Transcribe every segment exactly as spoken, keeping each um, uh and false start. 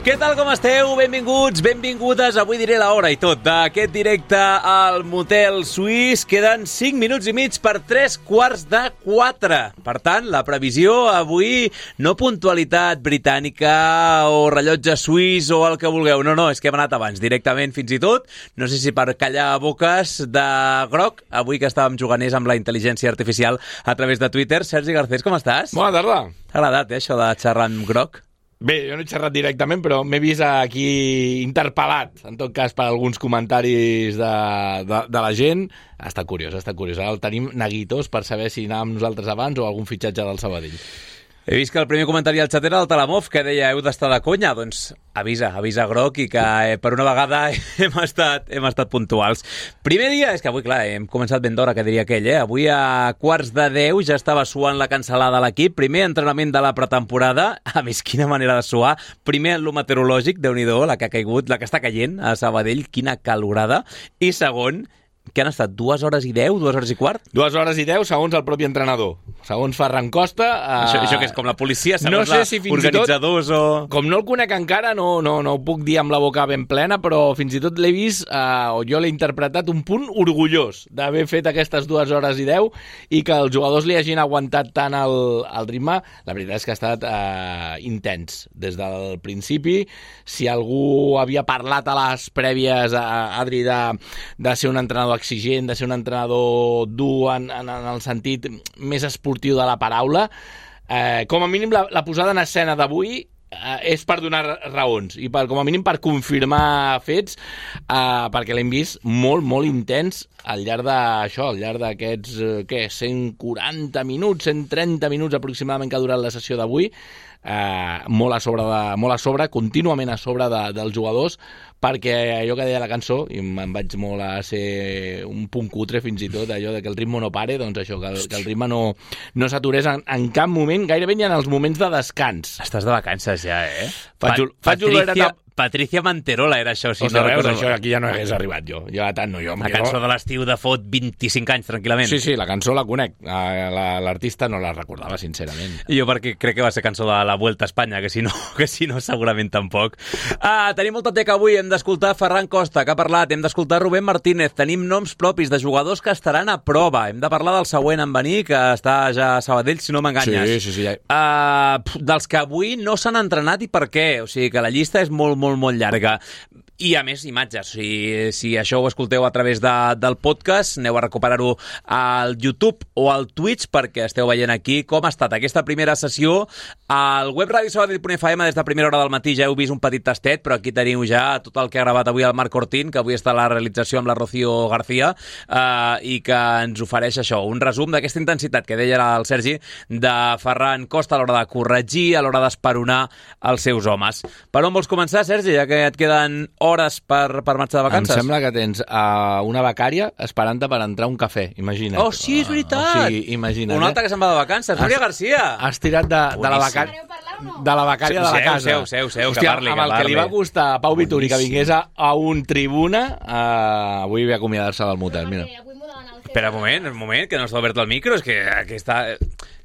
Què tal, com esteu? Benvinguts, benvingudes, avui diré l'hora i tot, d'aquest directe al Motel Suís. Queden cinc minuts i mig per tres quarts de quatre. Per tant, la previsió avui, no puntualitat britànica o rellotge suís o el que vulgueu. No, no, és que hem anat abans, directament fins i tot. No sé si per callar boques de groc, avui que estàvem juganers amb la intel·ligència artificial a través de Twitter. Sergi Garcés, com estàs? Bona tarda. T'ha agradat, eh, això de xerrar amb groc? Bé, jo no he xerrat directament, però m'he vist aquí interpel·lat, en tot cas, per alguns comentaris de, de, de la gent. Ha estat curiós, ha estat curiós. Ara el tenim neguitos per saber si anàvem nosaltres abans o algun fitxatge del Sabadell. He vist que el primer comentari al xat era el Talamov, que deia, heu d'estar de conya. Doncs avisa, avisa groc, i que eh, per una vegada hem estat, hem estat puntuals. Primer dia, és que avui, clar, hem començat ben d'hora, que diria aquell, eh? Avui a quarts de deu ja estava suant la cancel·lada a l'equip. Primer entrenament de la pretemporada. A més, quina manera de suar. Primer en lo meteorològic, Déu-n'hi-do, la que ha caigut, la que està caient a Sabadell, quina calorada. I segon, que han estat dues hores i deu, dues hores i quart? Dues hores i deu, segons el propi entrenador. Segons Ferran Costa... Uh... Això, això que és com la policia, segons no sé si fins organitzadors tot, o... Com no el conec encara, no, no, no ho puc dir amb la boca ben plena, però fins i tot l'he vist, uh, o jo l'he interpretat un punt orgullós d'haver fet aquestes dues hores i deu i que els jugadors li hagin aguantat tant el, el ritme. La veritat és que ha estat uh, intens des del principi. Si algú havia parlat a les prèvies, uh, Adri, de, de ser un entrenador exigent, de ser un entrenador dur en, en, en el sentit més esportiu de la paraula, eh, com a mínim la, la posada en escena d'avui eh, és per donar raons i per, com a mínim per confirmar fets, eh, perquè l'hem vist molt, molt intens al llarg d'això, al llarg d'aquests eh, què, cent quaranta minuts, cent trenta minuts aproximadament que ha durat la sessió d'avui. Eh, molt a sobre, de, molt a sobre contínuament a sobre de, dels jugadors, perquè allò que deia la cançó, i me'n vaig molt a ser un punt cutre fins i tot, allò de que el ritme no pare, doncs això, que el, que el ritme no, no s'aturés en, en cap moment, gairebé ni en els moments de descans. Estàs de vacances ja, eh? Faig, pa faig Patricia, Patricia Manterola era això. Si no no veus, això aquí ja no hagués arribat jo. Ja tant no, jo. La cançó no... de l'estiu de fot vint-i-cinc anys, tranquil·lament. Sí, sí, la cançó la conec. L'artista no la recordava, sincerament. Jo perquè crec que va ser cançó de la Vuelta a Espanya, que si no, que si no segurament tampoc. Ah, tenim molta teca avui, hem d'escoltar Ferran Costa, que ha parlat, hem d'escoltar Rubén Martínez, tenim noms propis de jugadors que estaran a prova, hem de parlar del següent en venir, que està ja a Sabadell, si no m'enganyes. Sí, sí, sí. Ja... Uh, dels que avui no s'han entrenat i per què, o sigui que la llista és molt, molt, molt llarga. I, a més, imatges. Si, si això ho escolteu a través de, del podcast, aneu a recuperar-ho al YouTube o al Twitch, perquè esteu veient aquí com ha estat aquesta primera sessió. Al web radio sabadell punt f m des de primera hora del matí ja heu vist un petit tastet, però aquí teniu ja tot el que ha gravat avui el Marc Ortín, que avui està a la realització amb la Rocío García, eh, i que ens ofereix això, un resum d'aquesta intensitat que deia el Sergi, de Ferran Costa a l'hora de corregir, a l'hora d'esperonar els seus homes. Per on vols començar, Sergi, ja que et queden hores per, per marxar de vacances? Em sembla que tens uh, una becària esperant-te per entrar a un cafè, imagina't. Oh, sí, és veritat! Uh, o sigui, imagina't. Un altre que se'n va de vacances, Núria García! Has tirat de, de la becària... De la becària de la casa. Seu, seu, seu, Hòstia, que parli, amb el que, que li va costar a Pau Vituri que vingués a, a un tribuna, uh, avui ve a acomiadar-se del motel, mira. Espera un moment, un moment, que no està obert el micro, és que aquí està...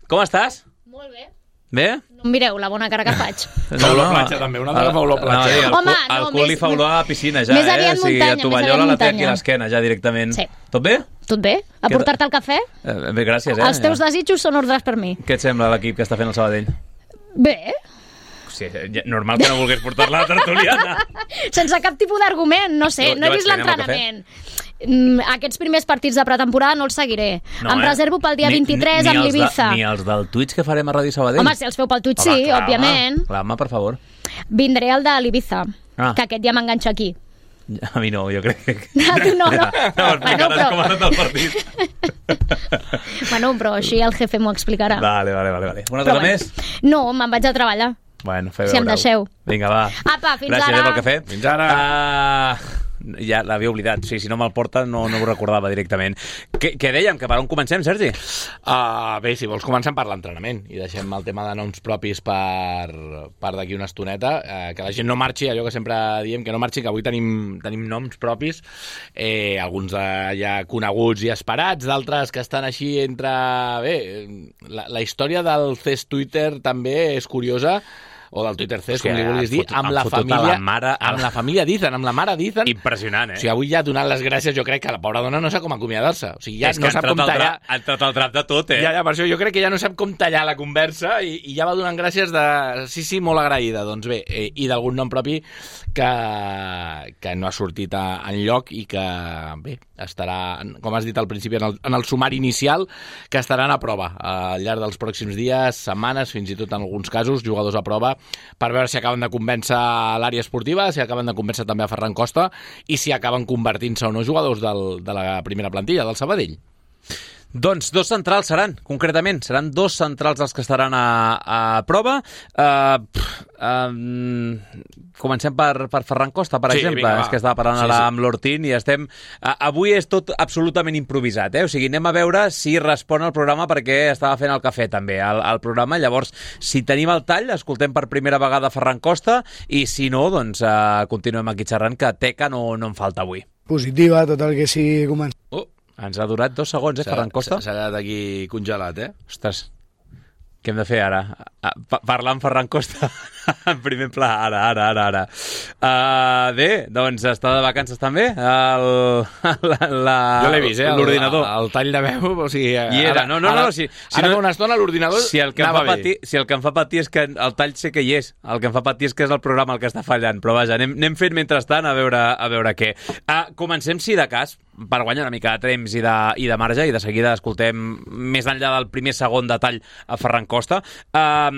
Com estàs? Molt bé. Bé? No em mireu la bona cara que faig. Fa olor a platja, també. Una altra fa olor a platja. No, el, Home, el no, cul li més- fa olor a la piscina, ja, més eh? aviat O sigui, muntanya, a tovallola més la aviat té aquí a muntanya. l'esquena, ja directament. Sí. Tot bé? Tot bé? A Què- portar-te el cafè? Eh, bé, gràcies, eh? Els teus desitjos són ordres per mi. Què et sembla l'equip que està fent el Sabadell? Bé, Sí, ja- normal que no volgués portar-la a la tertuliana. sense cap tipus d'argument, no sé, Jo- no jo he vist vaig fer, anem al l'entrenament. Mm, Aquests primers partits de pretemporada no els seguiré. No, em eh? reservo pel dia Ni- vint-i-tres ni amb els de- l'Ibiza. Ni els del Twitch que farem a Ràdio Sabadell? Home, si els feu pel Twitch, Home, sí, clar, òbviament. Home, clar, home, per favor. Vindré al de l'Ibiza, Ah. que aquest ja m'enganxa aquí. A mi no, jo crec que... A tu no, no. No, Bueno, explicaràs però- com ha anat el partit. Bueno, però així el jefe m'ho explicarà. Vale, vale, vale. vale. Una Però cosa bueno. més? No, me'n vaig a treballar. Bueno, feu Si em veure-ho. deixeu. Vinga, va. Apa, fins Gràcies, ara. eh, pel cafè. Fins ara. Uh, ja l'havia oblidat. Sí, si no me'l porta no, no ho recordava directament. Què, què dèiem? Que per on comencem, Sergi? Uh, bé, si vols comencem per l'entrenament i deixem el tema de noms propis per, per d'aquí una estoneta, uh, que la gent no marxi, allò que sempre diem, que no marxi, que avui tenim, tenim noms propis, eh, alguns uh, ja coneguts i esperats, d'altres que estan així entre... Bé, la, la història del C E S Twitter també és curiosa, o del Twitter Cés, O sigui, com li vulguis han dir, fotut- amb han la fotut a família, la mare- amb la família d'Ethan, amb la mare d'Ethan. Impressionant, eh? O sigui, avui ja ha donat les gràcies, jo crec que la pobra dona no sap com acomiadar-se. O sigui, ja és no que sap ha com entrat, tallar... al drap, ha entrat al drap de tot, eh? Ja, ja, per això jo crec que ja no sap com tallar la conversa i, i ja va donant gràcies de... Sí, sí, molt agraïda. Doncs bé, eh, i d'algun nom propi que, que no ha sortit a, enlloc i que, bé, estarà, com has dit al principi, en el, en el sumari inicial, que estaran a prova al llarg dels pròxims dies, setmanes, fins i tot en alguns casos, jugadors a prova, per veure si acaben de convèncer l'àrea esportiva, si acaben de convèncer també a Ferran Costa i si acaben convertint-se o no jugadors del, de la primera plantilla, del Sabadell. Doncs dos centrals seran, concretament. Seran dos centrals els que estaran a, a prova. Uh, pff, um, comencem per, per Ferran Costa, per Sí, exemple. vinga, va. És que estava parlant Sí, ara sí. amb l'Hortín i estem... Uh, avui és tot absolutament improvisat, eh? O sigui, anem a veure si respon al programa perquè estava fent el cafè també, al, al programa. Llavors, si tenim el tall, escoltem per primera vegada Ferran Costa i si no, doncs uh, continuem aquí xerrant, que teca no, no en falta avui. Positiva, tot el que sigui començar. Oh, Ens ha durat dos segons, eh, Ferran Costa? S'ha quedat aquí congelat, eh? Ostres, què hem de fer ara? Ah, pa parlar amb Ferran Costa en primer pla, ara, ara, ara, ara. Uh, bé, doncs està de vacances també? El, la, la, Jo l'he vist, eh? L'ordinador. El, el tall de veu, o sigui... I era, ara, no, no, ara, no, si, si ara no, fa una estona l'ordinador si el, que em anava fa bé. patir, si el que em fa patir és que el tall sé que hi és, el que em fa patir és que és el programa el que està fallant, però vaja, anem, anem fent mentrestant a veure, a veure què. Uh, comencem, si de cas, per guanyar una mica de temps i de, i de marge, i de seguida escoltem més enllà del primer segon detall a Ferran Costa, uh,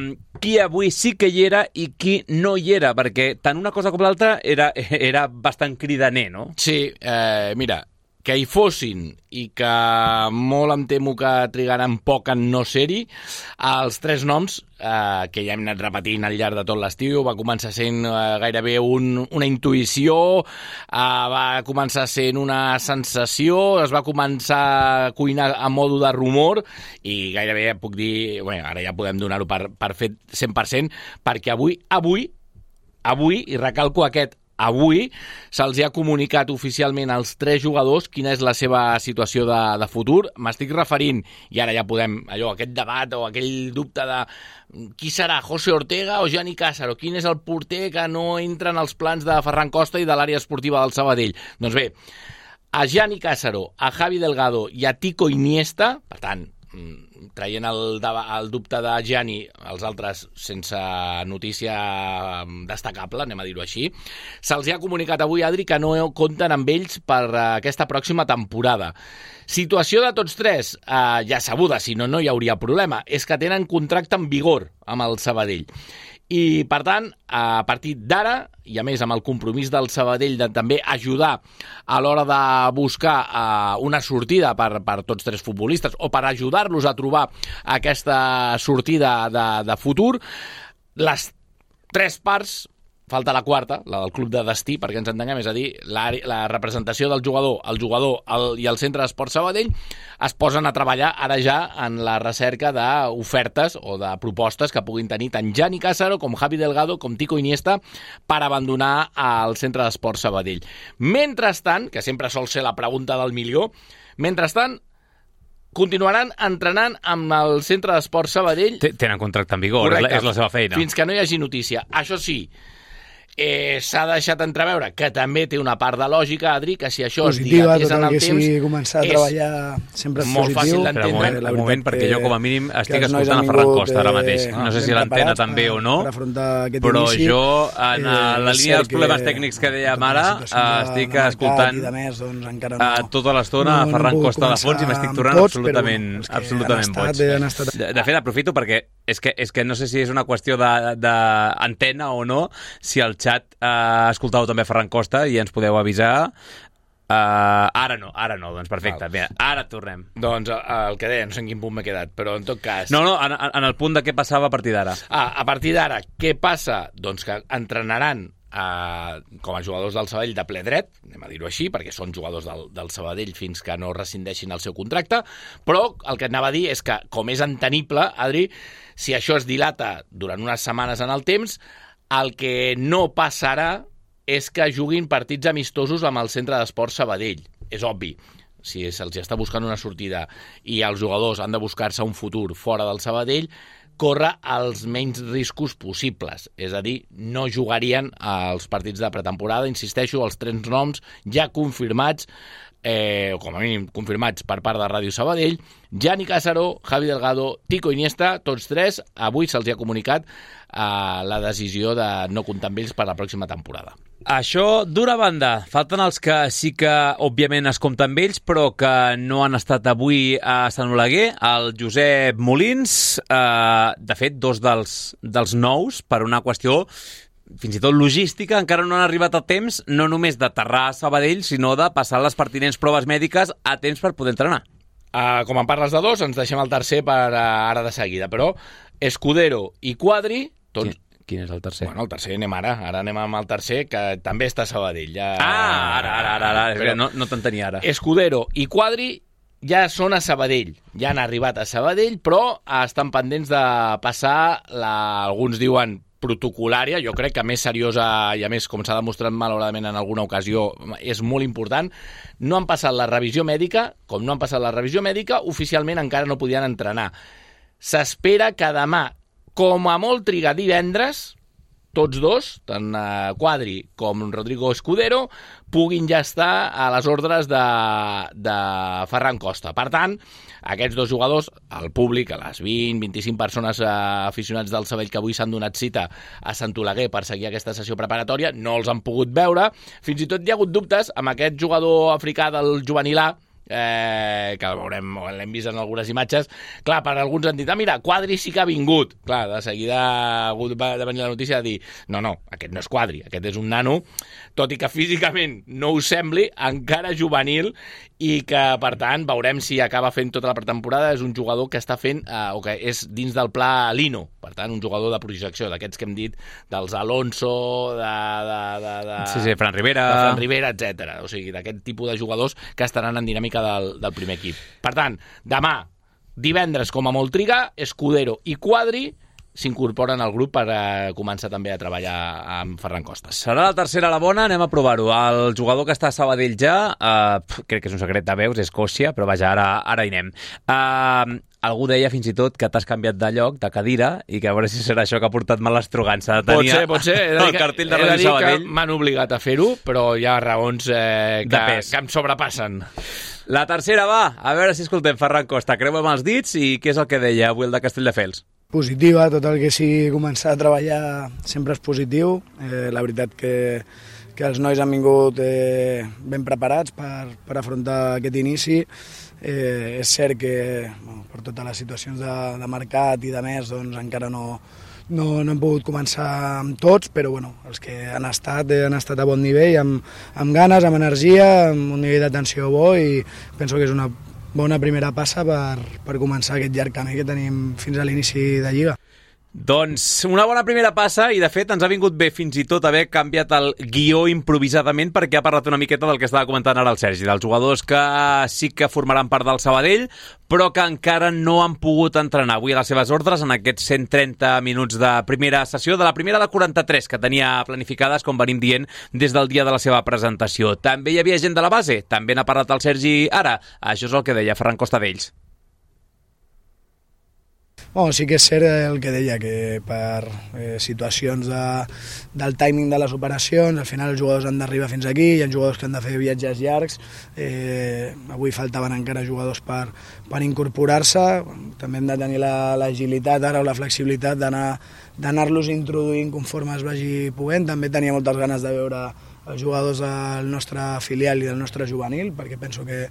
qui avui sí que hi era i qui no hi era, perquè tant una cosa com l'altra era, era bastant cridaner, no? Sí, eh, mira, que hi fossin i que molt em temo que trigaran poc en no ser-hi, els tres noms eh, que ja hem anat repetint al llarg de tot l'estiu, va començar sent eh, gairebé un, una intuïció, eh, va començar sent una sensació, es va començar a cuinar a modo de rumor i gairebé ja puc dir, bueno, ara ja podem donar-ho per, per fet cent per cent, perquè avui, avui, avui, i recalco aquest avui, se'ls ha comunicat oficialment als tres jugadors quina és la seva situació de, de futur. M'estic referint, i ara ja podem, allò, aquest debat o aquell dubte de qui serà, José Ortega o Gianni Cássaro, quin és el porter que no entra en els plans de Ferran Costa i de l'àrea esportiva del Sabadell. Doncs bé, a Gianni Cássaro, a Javi Delgado i a Tico Iniesta, per tant, traient el, el dubte de Gianni, els altres sense notícia destacable, anem a dir-ho així, se'ls ha comunicat avui, Adri, que no compten amb ells per aquesta pròxima temporada. Situació de tots tres, eh, ja sabuda, si no, no hi hauria problema, és que tenen contracte en vigor amb el Sabadell. I, per tant, a partir d'ara, i a més amb el compromís del Sabadell de també ajudar a l'hora de buscar uh, una sortida per, per tots tres futbolistes o per ajudar-los a trobar aquesta sortida de, de futur, les tres parts, falta la quarta, la del club de destí, perquè ens entenguem, és a dir, la, la representació del jugador, el jugador el, i el centre d'esport Sabadell, es posen a treballar ara ja en la recerca d'ofertes o de propostes que puguin tenir tant Gianni Cássaro com Javi Delgado com Tico Iniesta per abandonar el centre d'esport Sabadell. Mentrestant, que sempre sol ser la pregunta del milió, mentrestant, continuaran entrenant amb el centre d'esport Sabadell. Tenen contracte en vigor, correcte, és la seva feina. Fins que no hi hagi notícia. Això sí, Eh, s'ha deixat entreveure que també té una part de lògica, Adri, que si això positiva, es dilatés en el temps... Positiva, tot el que sigui començar a treballar sempre és molt positiu. fàcil d'entendre. Un moment, un moment, perquè jo com a mínim estic escoltant a vingut, Ferran Costa ara mateix. Eh, No sé si l'antena també o no, però inici, jo, en eh, la línia dels problemes tècnics que dèiem ara, estic escoltant de més, doncs, encara no, a tota l'estona no, a Ferran no Costa de fons i m'estic tornant tots, absolutament, però, absolutament boig. Estat... De, de fet, aprofito perquè és que, és que no sé si és una qüestió d'antena o no, si el xat eh, escoltau també Ferran Costa i ens podeu avisar. Uh, ara no, ara no, doncs perfecte. Mira, ara tornem. Doncs el que deia, no sé en quin punt m'he quedat, però en tot cas... No, no, en, en el punt de què passava a partir d'ara. Ah, a partir d'ara, què passa? Doncs que entrenaran Uh, com a jugadors del Sabadell de ple dret, anem a dir-ho així, perquè són jugadors del, del Sabadell fins que no rescindeixin el seu contracte, però el que anava a dir és que, com és entenible, Adri, si això es dilata durant unes setmanes en el temps, el que no passarà és que juguin partits amistosos amb el centre d'esport Sabadell. És obvi. Si se'ls està buscant una sortida i els jugadors han de buscar-se un futur fora del Sabadell, córrer els menys riscos possibles. És a dir, no jugarien als partits de pretemporada. Insisteixo, els tres noms ja confirmats, eh, o com a mínim confirmats per part de Ràdio Sabadell: Gianni Cássaro, Javi Delgado, Tico Iniesta, tots tres. Avui se'ls ha comunicat eh, la decisió de no comptar amb ells per la pròxima temporada. Això, d'una banda, falten els que sí que, òbviament, es compten amb ells, però que no han estat avui a Sant Oleguer. El Josep Molins, eh, de fet, dos dels, dels nous, per una qüestió fins i tot logística, encara no han arribat a temps, no només d'aterrar a Sabadell, sinó de passar les pertinents proves mèdiques a temps per poder entrenar. Uh, com en parles de dos, ens deixem el tercer per uh, ara de seguida, però Escudero i Quadri, tots... Quin, quin és el tercer? Bueno, el tercer anem ara, ara anem amb el tercer, que també està a Sabadell. Ja... Ah, ara, ara, ara, ara. Però no, no t'entenia ara. Escudero i Quadri ja són a Sabadell, ja han arribat a Sabadell, però estan pendents de passar, la, alguns diuen protocolària, jo crec que més seriosa i a més, com s'ha demostrat malauradament en alguna ocasió, és molt important. No han passat la revisió mèdica, com no han passat la revisió mèdica, oficialment encara no podien entrenar. S'espera que demà, com a molt trigar divendres, tots dos, tant Quadri com Rodrigo Escudero, puguin ja estar a les ordres de, de Ferran Costa. Per tant, aquests dos jugadors, el públic, a les vint a vint-i-cinc persones eh, aficionats del Sabadell que avui s'han donat cita a Sant Oleguer per seguir aquesta sessió preparatòria, no els han pogut veure. Fins i tot hi ha hagut dubtes amb aquest jugador africà del juvenil A, Eh, que el veurem, l'hem vist en algunes imatges. Clar, per alguns han dit, ah, mira, Quadri sí que ha vingut. Clar, de seguida ha hagut de venir la notícia de dir, no, no, aquest no és Quadri, aquest és un nano, tot i que físicament no ho sembli, encara juvenil, i que, per tant, veurem si acaba fent tota la pretemporada. És un jugador que està fent, eh, o que és dins del pla Lino, per tant, un jugador de projecció, d'aquests que hem dit, dels Alonso, de... de, de, de sí, sí, Fran Rivera, de Fran Rivera, etcètera. O sigui, d'aquest tipus de jugadors que estaran en dinàmica Del, del primer equip. Per tant, demà, divendres com a molt trigar, Escudero i Quadri s'incorporen al grup per eh, començar també a treballar amb Ferran Costa. Serà la tercera a la bona, anem a provar-ho. El jugador que està a Sabadell ja, eh, crec que és un secret de veus, és Còssia, però vaja, ara, ara hi anem. Eh, algú deia fins i tot que t'has canviat de lloc, de cadira, i que a veure si serà això que ha portat malestrugança. Pot ser, pot ser. El cartell de Ràdio Sabadell. M'han obligat a fer-ho, però hi ha raons eh, que, que em sobrepassen. La tercera va, a veure si escoltem Ferran Costa, creuem els dits, i què és el que deia avui el de Castelldefels? Positiva, tot el que sigui començar a treballar sempre és positiu. Eh, la veritat que, que els nois han vingut eh, ben preparats per, per afrontar aquest inici. Eh, és cert que bueno, per totes les situacions de, de mercat i de més doncs, encara no, no, no hem pogut començar amb tots, però bueno, els que han estat eh, han estat a bon nivell, amb, amb ganes, amb energia, amb un nivell d'atenció bo, i penso que és una bona primera passa per, per començar aquest llarg camí que tenim fins a l'inici de Lliga. Doncs una bona primera passa, i de fet ens ha vingut bé fins i tot haver canviat el guió improvisadament, perquè ha parlat una miqueta del que estava comentant ara el Sergi, dels jugadors que sí que formaran part del Sabadell, però que encara no han pogut entrenar avui a les seves ordres en aquests cent trenta minuts de primera sessió, de la primera de quaranta-tres que tenia planificades, com venim dient, des del dia de la seva presentació. També hi havia gent de la base, també n'ha parlat el Sergi ara. Això és el que deia Ferran Costa d'ells. Bueno, sí que és cert el que deia, que per eh, situacions de, del timing de les operacions, al final els jugadors han d'arribar fins aquí, hi ha jugadors que han de fer viatges llargs, eh, avui faltaven encara jugadors per, per incorporar-se, també hem de tenir l'agilitat ara o la flexibilitat d'anar-los introduint conforme es vagi podent. També tenia moltes ganes de veure els jugadors del nostre filial i del nostre juvenil, perquè penso que,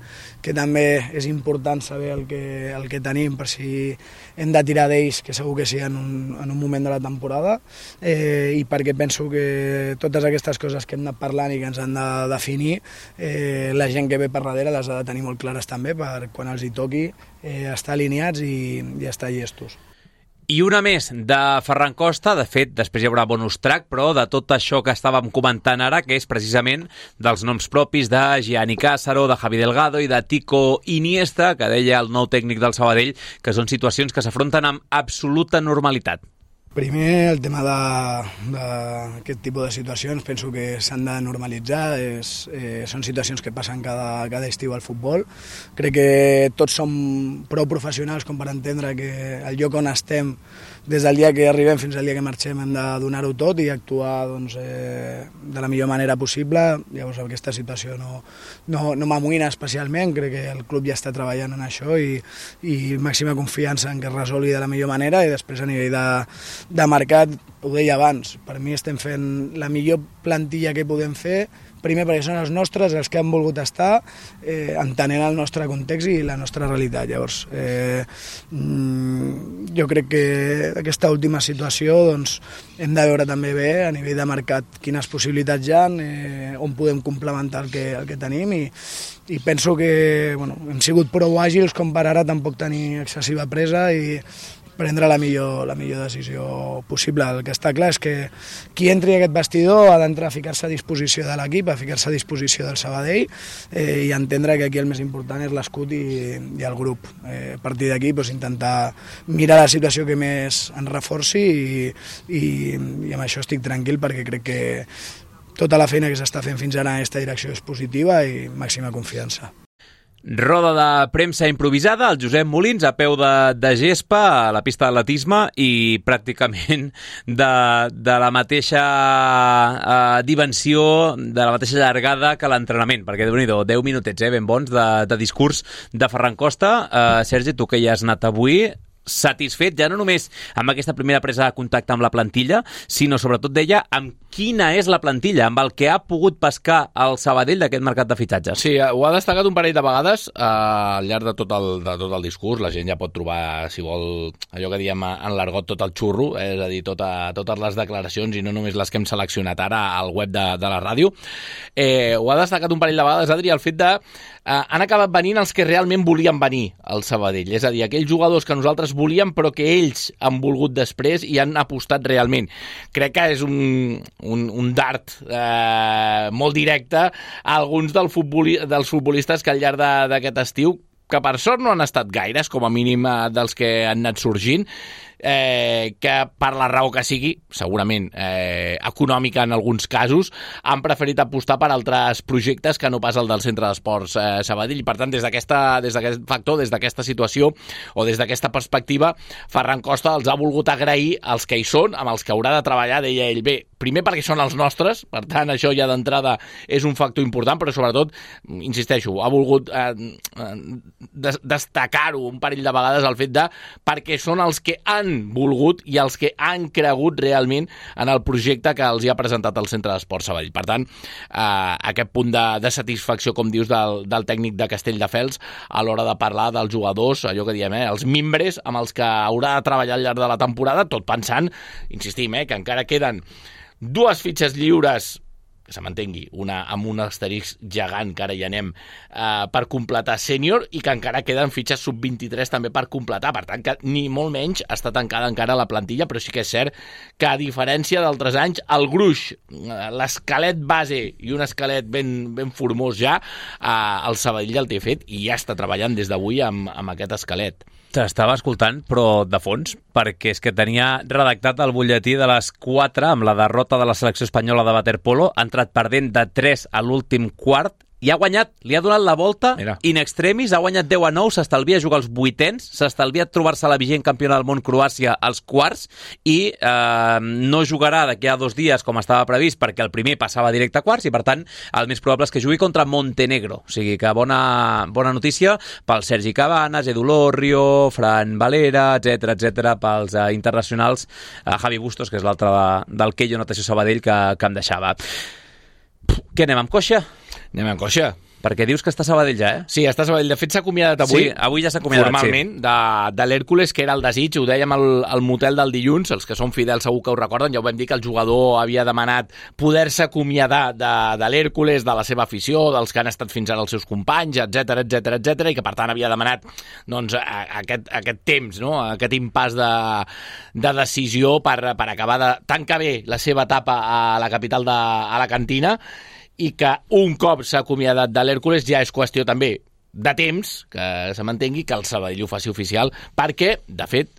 que també és important saber el que, el que tenim per si hem de tirar d'ells, que segur que sí en un, en un moment de la temporada, eh, i perquè penso que totes aquestes coses que hem anat parlant i que ens han de definir, eh, la gent que ve per darrere les ha de tenir molt clares també, per quan els hi toqui eh, estar alineats i, i estar llestos. I una més de Ferran Costa, de fet, després hi haurà bonus track, però de tot això que estàvem comentant ara, que és precisament dels noms propis de Gianni Cássaro, de Javi Delgado i de Tico Iniesta, que deia el nou tècnic del Sabadell, que són situacions que s'afronten amb absoluta normalitat. Primer, el tema d'aquest tipus de situacions penso que s'han de normalitzar, és, eh, són situacions que passen cada, cada estiu al futbol. Crec que tots som prou professionals com per entendre que el lloc on estem, des del dia que arribem fins al dia que marxem, hem de donar-ho tot i actuar doncs, eh, de la millor manera possible. Llavors aquesta situació no, no, no m'amoïna especialment, crec que el club ja està treballant en això i, i màxima confiança en que es resolgui de la millor manera, i després a nivell de de mercat, ho deia abans, per mi estem fent la millor plantilla que podem fer, primer perquè són els nostres, els que han volgut estar, eh, entenent el nostre context i la nostra realitat. Llavors, eh, jo crec que aquesta última situació doncs, hem de veure també bé a nivell de mercat quines possibilitats hi ha, eh, on podem complementar el que, el que tenim, i, i penso que bueno, hem sigut prou àgils com per ara tampoc tenir excessiva pressa i prendre la millor, la millor decisió possible. El que està clar és que qui entri a aquest vestidor ha d'entrar a ficar-se a disposició de l'equip, a ficar-se a disposició del Sabadell, eh, i entendre que aquí el més important és l'escut i, i el grup. Eh, a partir d'aquí doncs, intentar mirar la situació que més ens reforci i, i, i amb això estic tranquil perquè crec que tota la feina que s'està fent fins ara en aquesta direcció és positiva i màxima confiança. Roda de premsa improvisada, el Josep Molins a peu de, de gespa a la pista d'atletisme i pràcticament de, de la mateixa uh, dimensió, de la mateixa llargada que l'entrenament, perquè déu-n'hi-do, deu minutets, eh, ben bons, de, de discurs de Ferran Costa. Uh, Sergi, tu que hi has anat avui, satisfet ja no només amb aquesta primera presa de contacte amb la plantilla, sinó sobretot deia amb quina és la plantilla, amb el que ha pogut pescar el Sabadell d'aquest mercat de fitxatges. Sí, ho ha destacat un parell de vegades eh, al llarg de tot, el, de tot el discurs. La gent ja pot trobar, si vol, allò que diem en l'argot, tot el xurro, eh, és a dir, tota, totes les declaracions i no només les que hem seleccionat ara al web de, de la ràdio. Eh, ho ha destacat un parell de vegades, Adri, el fet de eh, han acabat venint els que realment volien venir al Sabadell, és a dir, aquells jugadors que nosaltres volíem però que ells han volgut després i han apostat realment. Crec que és un, un, un dart eh, molt directe a alguns del futboli, dels futbolistes que al llarg d'aquest estiu, que per sort no han estat gaires, com a mínim eh, dels que han anat sorgint, eh, que per la raó que sigui, segurament eh, econòmica en alguns casos, han preferit apostar per altres projectes que no pas el del Centre d'Esports eh, Sabadell. I per tant, des d'aquest factor, des d'aquesta situació o des d'aquesta perspectiva, Ferran Costa els ha volgut agrair als que hi són, amb els que haurà de treballar, deia ell. Bé, primer perquè són els nostres, per tant, això ja d'entrada és un factor important, però sobretot, insisteixo, ha volgut eh, des destacar-ho un parell de vegades el fet de perquè són els que han volgut i els que han cregut realment en el projecte que els hi ha presentat el Centre d'Esports Sabadell. Per tant, eh, aquest punt de, de satisfacció, com dius, del, del tècnic de Castelldefels a l'hora de parlar dels jugadors, allò que diem, eh, els mimbres amb els que haurà de treballar al llarg de la temporada, tot pensant, insistim, eh, que encara queden dues fitxes lliures, que se m'entengui, una amb un asterisc gegant, que ara hi anem, eh, per completar sènior, i que encara queden fitxes sub vint-i-tres també per completar. Per tant, que ni molt menys està tancada encara la plantilla, però sí que és cert que, a diferència d'altres anys, el gruix, l'esquelet base i un esquelet ben, ben formós ja, eh, el Sabadell el té fet i ja està treballant des d'avui amb, amb aquest esquelet. T'estava escoltant, però de fons, perquè és que tenia redactat el butlletí de les quatre amb la derrota de la selecció espanyola de waterpolo, ha entrat perdent de tres a l'últim quart, i ha guanyat, li ha donat la volta. Mira. In extremis, ha guanyat deu a nou, s'estalvia jugar als vuitens, s'estalvia trobar-se la vigent campiona del món Croàcia als quarts, i eh, no jugarà d'aquí a dos dies com estava previst, perquè el primer passava directe a quarts, i per tant el més probable és que jugui contra Montenegro. O sigui que bona, bona notícia pel Sergi Cabanas, Edu Lorrio, Fran Valera, etcètera, etcètera, pels eh, internacionals, eh, Javi Bustos, que és l'altre de, del Keio Natació Sabadell, que, que em deixava. Què, anem amb coixa? Anem amb coixa. Perquè dius que està a Sabadell ja, eh? Sí, està a Sabadell. De fet, s'ha acomiadat avui. Sí, avui ja s'ha acomiadat, formalment, sí. de, de l'Hèrcules, que era el desig. Ho dèiem al, al motel del dilluns, els que són fidels segur que ho recorden. Ja ho vam dir que el jugador havia demanat poder-se acomiadar de, de l'Hèrcules, de la seva afició, dels que han estat fins ara els seus companys, etcètera, etcètera, etcètera, i que per tant havia demanat doncs, aquest, aquest temps, no? Aquest impàs de, de decisió per, per acabar de tancar bé la seva etapa a la capital de a la Cantina, i que un cop s'ha acomiadat de l'Hèrcules ja és qüestió també de temps, que se m'entengui, que el Sabadell ho faci oficial, perquè, de fet,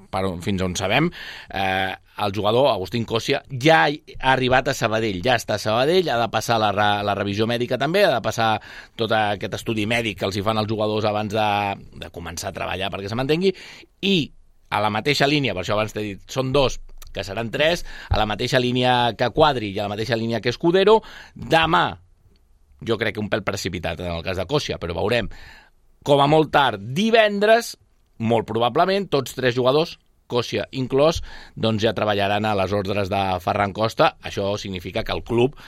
per, fins on sabem, eh, el jugador Agustín Cosia ja ha arribat a Sabadell, ja està a Sabadell, ha de passar la, la revisió mèdica també, ha de passar tot aquest estudi mèdic que els hi fan els jugadors abans de, de començar a treballar perquè se mantengui, i a la mateixa línia, per això abans t'he dit, són dos, que seran tres, a la mateixa línia que Quadri i a la mateixa línia que Escudero, demà, jo crec que un pèl precipitat en el cas de Cosia, però veurem, com a molt tard, divendres, molt probablement, tots tres jugadors, Cosia inclòs, doncs ja treballaran a les ordres de Ferran Costa. Això significa que el club,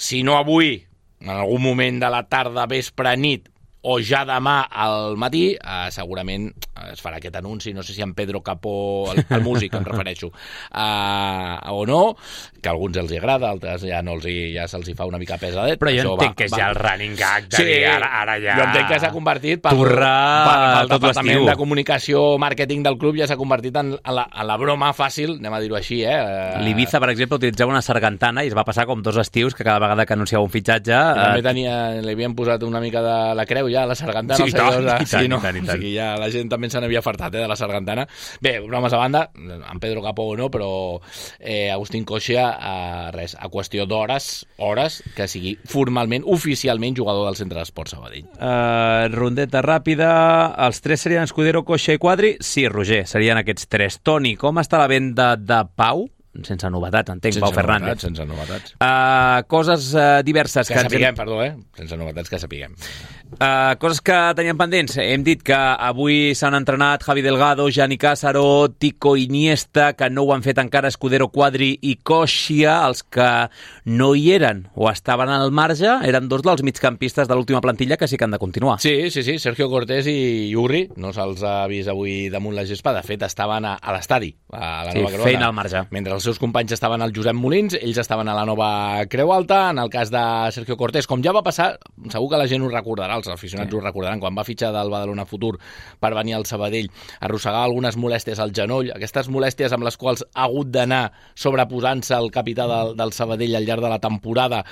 si no avui, en algun moment de la tarda, vespre, nit, o ja demà al matí, eh, segurament es farà aquest anunci, no sé si en Pedro Capó, el, el músic em refereixo, eh, o no, que a alguns els hi agrada, altres ja no els hi, ja se'ls hi fa una mica pesadet. Però jo això entenc va, que és va. ja el running gag de sí, dir, ara, ara ja... Jo entenc que s'ha convertit pel, Turra pel, pel tot departament l'estiu. de comunicació, màrqueting del club, ja s'ha convertit en, en, la, en la broma fàcil, anem a dir-ho així, eh? L'Ibiza, per exemple, utilitzava una sargantana i es va passar com dos estius que cada vegada que anunciava un fitxatge... També Eh... tenia, li havien posat una mica de la creu ja, la sargantana. Sí, i tant, de... i tant, sí, no? i tant, i tant. O sigui, ja la gent també se n'havia fartat, eh, de la sargantana. Bé, bromes a banda, en Pedro Capó o no, però eh, Agustín Cosia, eh, res, a qüestió d'hores, hores, que sigui formalment, oficialment jugador del Centre d'Esports Sabadell. Uh, rondeta ràpida, els tres serien Escudero, Cosia i Quadri? Sí, Roger, serien aquests tres. Toni, com està la venda de Pau? Sense novetats, entenc, sense Pau Fernández. Novetats, sense novetats. Uh, coses uh, diverses. Que, que sapiguem, hem... perdó, eh? Sense novetats que sapiguem. Uh, coses que teníem pendents. Hem dit que avui s'han entrenat Javi Delgado, Gianni Cássaro, Tico Iniesta, que no ho han fet encara Escudero, Quadri i Cosia, els que no hi eren o estaven al marge, eren dos dels migcampistes de l'última plantilla que sí que han de continuar. Sí, sí, sí, Sergio Cortés i Urri, no se'ls ha vist avui damunt la gespa, de fet estaven a, a l'estadi, a la sí, Nova Creu Alta. feina al marge. Mentre els seus companys estaven al Josep Molins, ells estaven a la Nova Creu Alta. En el cas de Sergio Cortés, com ja va passar, segur que la gent ho recordarà, els aficionats sí. ho recordaran, quan va fitxar del Badalona Futur per venir al Sabadell, arrossegava algunes molèsties al genoll, aquestes molèsties amb les quals ha hagut d'anar sobreposant-se el capità del, del Sabadell al llarg de la temporada.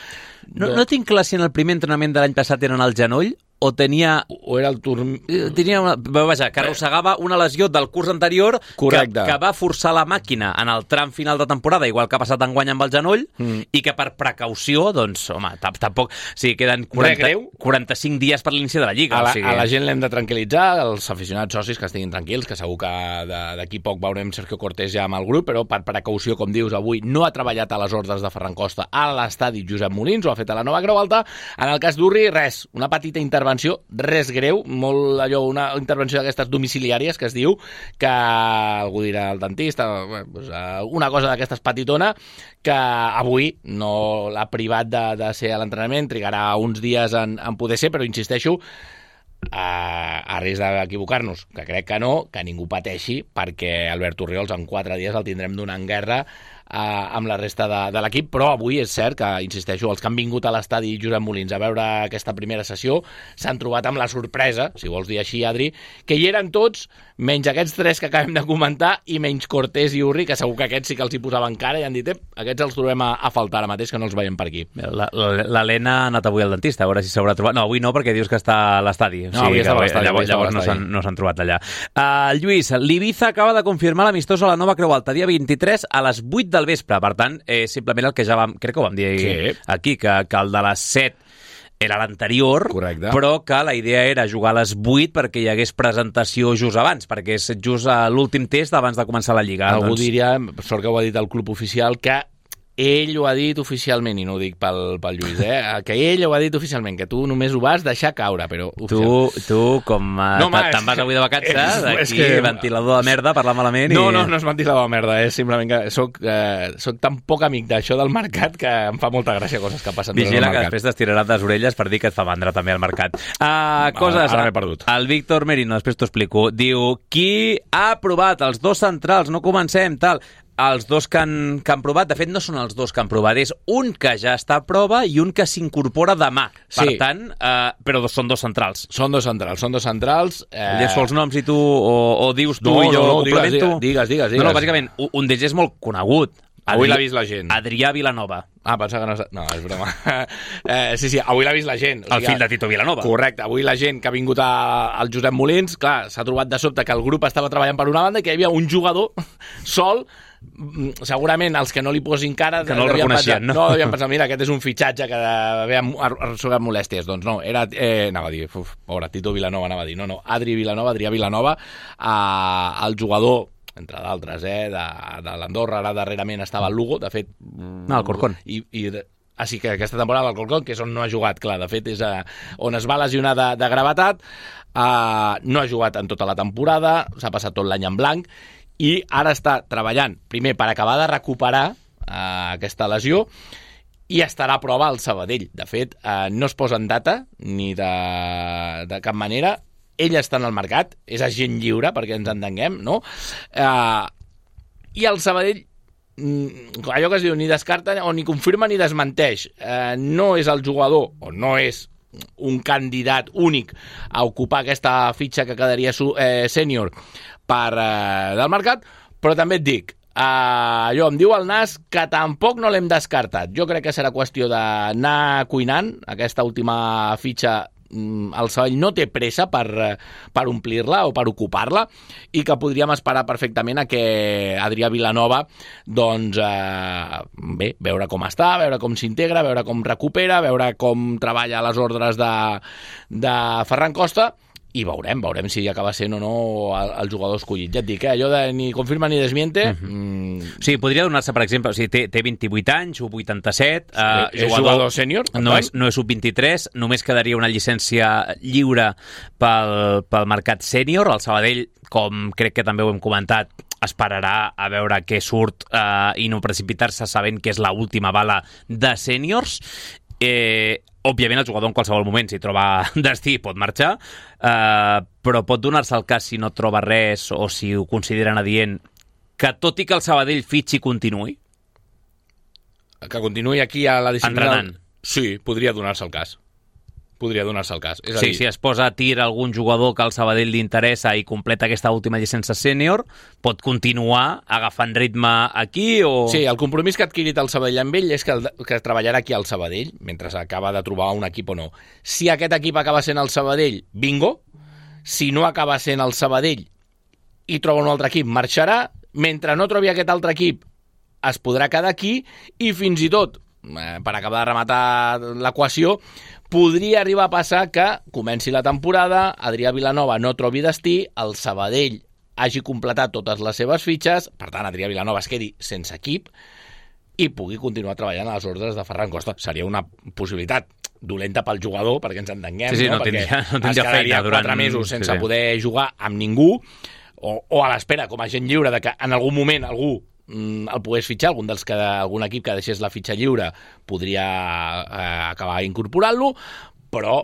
No, no tinc clar si en el primer entrenament de l'any passat eren al genoll o tenia... O era el turn... Tenia una... Vaja, que arrossegava una lesió del curs anterior que, que va forçar la màquina en el tram final de temporada, igual que ha passat enguany amb el genoll, mm. i que per precaució, doncs, home, tampoc... O sigui, queden quaranta, quaranta-cinc dies per l'inici de la Lliga. A la, o sigui... a la gent l'hem de tranquil·litzar, els aficionats socis que estiguin tranquils, que segur que d'aquí poc veurem Sergio Cortés ja amb el grup, però per precaució, com dius, avui no ha treballat a les ordres de Ferran Costa a l'estadi Josep Molins, ho ha fet a la Nova Creu Alta. En el cas d'Urri, res, una petita intervenció, res greu, molt allò, una intervenció d'aquestes domiciliàries que es diu, que algú dirà el dentista, una cosa d'aquestes petitona, que avui no l'ha privat de, de ser a l'entrenament, trigarà uns dies en, en poder ser, però insisteixo, a, a risc d'equivocar-nos, que crec que no, que ningú pateixi, perquè Albert Orriols en quatre dies el tindrem donant guerra Uh, amb la resta de, de l'equip, però avui és cert que, insisteixo, els que han vingut a l'estadi Josep Molins a veure aquesta primera sessió s'han trobat amb la sorpresa, si vols dir així, Adri, que hi eren tots, menys aquests tres que acabem de comentar i menys Cortés i Urri, que segur que aquests sí que els hi posaven cara i han dit, eh, aquests els trobem a, a faltar ara mateix, que no els veiem per aquí. L'Helena ha anat avui al dentista, a veure si s'haurà trobat. No, avui no, perquè dius que està a l'estadi. O sigui, no, avui està a l'estadi. Llavors, llavors no s'han no s'han trobat allà. Uh, Lluís, l'Ibiza acaba de confirmar l'amistós a la Nova Creu Alta, dia vint-i-tres a les vuit del vespre. Per tant, eh, simplement el que ja vam, crec que ho vam dir sí. aquí, que, que el de les set era l'anterior, correcte, però que la idea era jugar a les vuit perquè hi hagués presentació just abans, perquè és just a l'últim test abans de començar la Lliga. Algú doncs... diria, sort que ho ha dit el club oficial, que ell ho ha dit oficialment, i no ho dic pel, pel Lluís, eh? que ell ho ha dit oficialment, que tu només ho vas deixar caure, però... Tu, tu com no, te'n vas avui de vacances, aquí, que... ventilador de merda, parlar malament... No, i... no, no és ventilador de merda, és simplement que soc, eh, soc tan poc amic d'això del mercat que em fa molta gràcia coses que passen. Vigila que després t'estiraran les orelles per dir que et fa mandra també al mercat. Uh, coses... Ara m'he perdut. El Víctor Merino, després t'ho explico, diu, qui ha provat els dos centrals, no comencem, tal... Els dos que han, que han provat, de fet, no són els dos que han provat, és un que ja està a prova i un que s'incorpora demà. Sí. Per tant, eh, però són dos centrals. Són dos centrals, són dos centrals. Eh... Llegeixo els noms i tu, o, o dius tu no, i jo no, no, complemento? Digues, digues, digues. No, no, bàsicament, un d'ells és molt conegut. Avui l'ha vist la gent. Adrià Vilanova. Ah, pensava que no... No, és broma. eh, sí, sí, avui l'ha vist la gent. O sigui, el fill de Tito Vilanova. Correcte. Avui la gent que ha vingut a, al Josep Molins, clar, s'ha trobat de sobte que el grup estava treballant per una banda i que hi havia un jugador sol. Segurament els que no li posin cara que no el reconeixien, pensat, no? No, devien pensar, mira, aquest és un fitxatge que ve arrossegat molèsties. Doncs no, era, eh, anava a dir, uf, pobre, Tito Vilanova anava a dir, no, no, Adri Vilanova, Adrià Vilanova, eh, el jugador, entre d'altres, eh, de, de l'Andorra, ara darrerament estava al Lugo, de fet... No, el Corcón. I, i, ah, sí, que aquesta temporada al Corcón, que és on no ha jugat, clar, de fet és a, on es va lesionar de, de gravetat, eh, no ha jugat en tota la temporada, s'ha passat tot l'any en blanc, i ara està treballant, primer, per acabar de recuperar eh, aquesta lesió, i estarà a prova al Sabadell. De fet, eh, no es posa en data, ni de, de cap manera. Ell està en el mercat, és agent lliure, perquè ens entenguem, no? Eh, I el Sabadell, allò que es diu, ni descarta, o ni confirma ni desmenteix. Eh, no és el jugador, o no és un candidat únic a ocupar aquesta fitxa que quedaria eh, sènior per eh, del mercat, però també et dic, eh, allò em diu el Nas que tampoc no l'hem descartat. Jo crec que serà qüestió d'anar cuinant aquesta última fitxa. El Sabadell no té pressa per, per omplir-la o per ocupar-la i que podríem esperar perfectament a que Adrià Vilanova doncs, eh, bé, veure com està, veure com s'integra, veure com recupera, veure com treballa a les ordres de, de Ferran Costa i veurem, veurem si acaba sent o no el, el jugador escollit. Ja et dic, eh, allò de ni confirma ni desmiente... Uh-huh. mm... Sí, podria donar-se, per exemple, o sigui, té, té vint-i-vuit anys, u vuitanta-set... Sí, eh, és jugador, jugador sènior? No és, no és u vint-i-tres, només quedaria una llicència lliure pel, pel mercat sènior. El Sabadell, com crec que també ho hem comentat, esperarà a veure què surt eh, i no precipitar-se sabent que és l'última bala de sèniors. Eh, òbviament el jugador en qualsevol moment si troba destí pot marxar, eh, però pot donar-se el cas si no troba res o si ho consideren adient que tot i que el Sabadell fitxi continuï que continuï aquí a la disciplina entrenant. Sí, podria donar-se el cas podria donar-se el cas. És a sí, dir... si es posa a tir algun jugador que al Sabadell li interessa i completa aquesta última llicència sènior, pot continuar agafant ritme aquí o... Sí, el compromís que ha adquirit el Sabadell amb ell és que, el, que treballarà aquí al Sabadell, mentre acaba de trobar un equip o no. Si aquest equip acaba sent el Sabadell, bingo. Si no acaba sent el Sabadell i troba un altre equip, marxarà. Mentre no trobi aquest altre equip, es podrà quedar aquí i fins i tot, eh, per acabar de rematar l'equació, podria arribar a passar que comenci la temporada, Adrià Vilanova no trobi destí, el Sabadell hagi completat totes les seves fitxes, per tant, Adrià Vilanova es quedi sense equip i pugui continuar treballant a les ordres de Ferran Costa. Seria una possibilitat dolenta pel jugador, perquè ens entenguem, sí, sí, no? no Perquè tindria, no es tindria quedaria feina durant... quatre mesos sense sí, sí. poder jugar amb ningú, o, o a l'espera, com a gent lliure, de que en algun moment algú el pogués fitxar, algun dels que algun equip que deixés la fitxa lliure podria eh, acabar incorporant-lo, però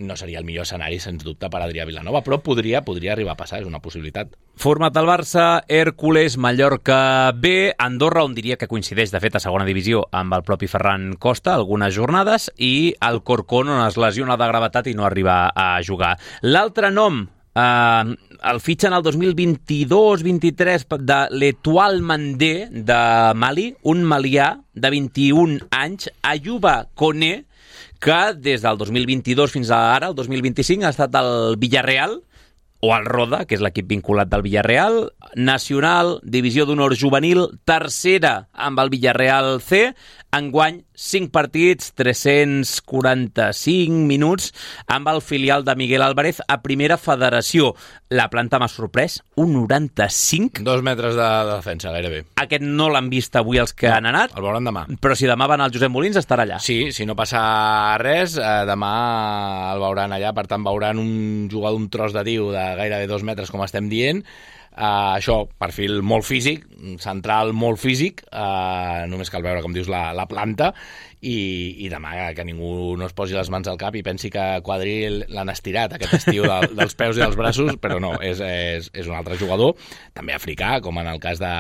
no seria el millor escenari, sens dubte, per Adrià Vilanova, però podria, podria arribar a passar, és una possibilitat. Format al Barça, Hèrcules, Mallorca B, Andorra, on diria que coincideix, de fet, a segona divisió amb el propi Ferran Costa, algunes jornades, i el Corcón, on es lesiona de gravetat i no arriba a jugar. L'altre nom, Uh, el fitxen el dos mil vint-i-dos vint-i-tres de l'Etoile Mandé de Mali, un malià de vint-i-un anys, Ayuba Koné, que des del dos mil vint-i-dos fins a ara, el dos mil vint-i-cinc, ha estat al Villarreal, o al Roda, que és l'equip vinculat del Villarreal, Nacional, Divisió d'Honor Juvenil, tercera amb el Villarreal C, enguany cinc partits, tres-cents quaranta-cinc minuts, amb el filial de Miguel Álvarez a Primera Federació. La planta m'ha sorprès, un noranta-cinc. Dos metres de, de defensa, gairebé. Aquest no l'han vist avui els que no, han anat. El veuran demà. Però si demà van al Josep Molins, estarà allà. Sí, si no passa res, eh, demà el veuran allà, per tant veuran un jugador d'un tros de tiu de gairebé dos metres, com estem dient. Uh, això, perfil molt físic, central molt físic, uh, només cal veure, com dius, la, la planta, i, i demà que ningú no es posi les mans al cap i pensi que Quadri l'han estirat aquest estiu de, dels peus i dels braços, però no, és, és, és un altre jugador, també africà, com en el cas de,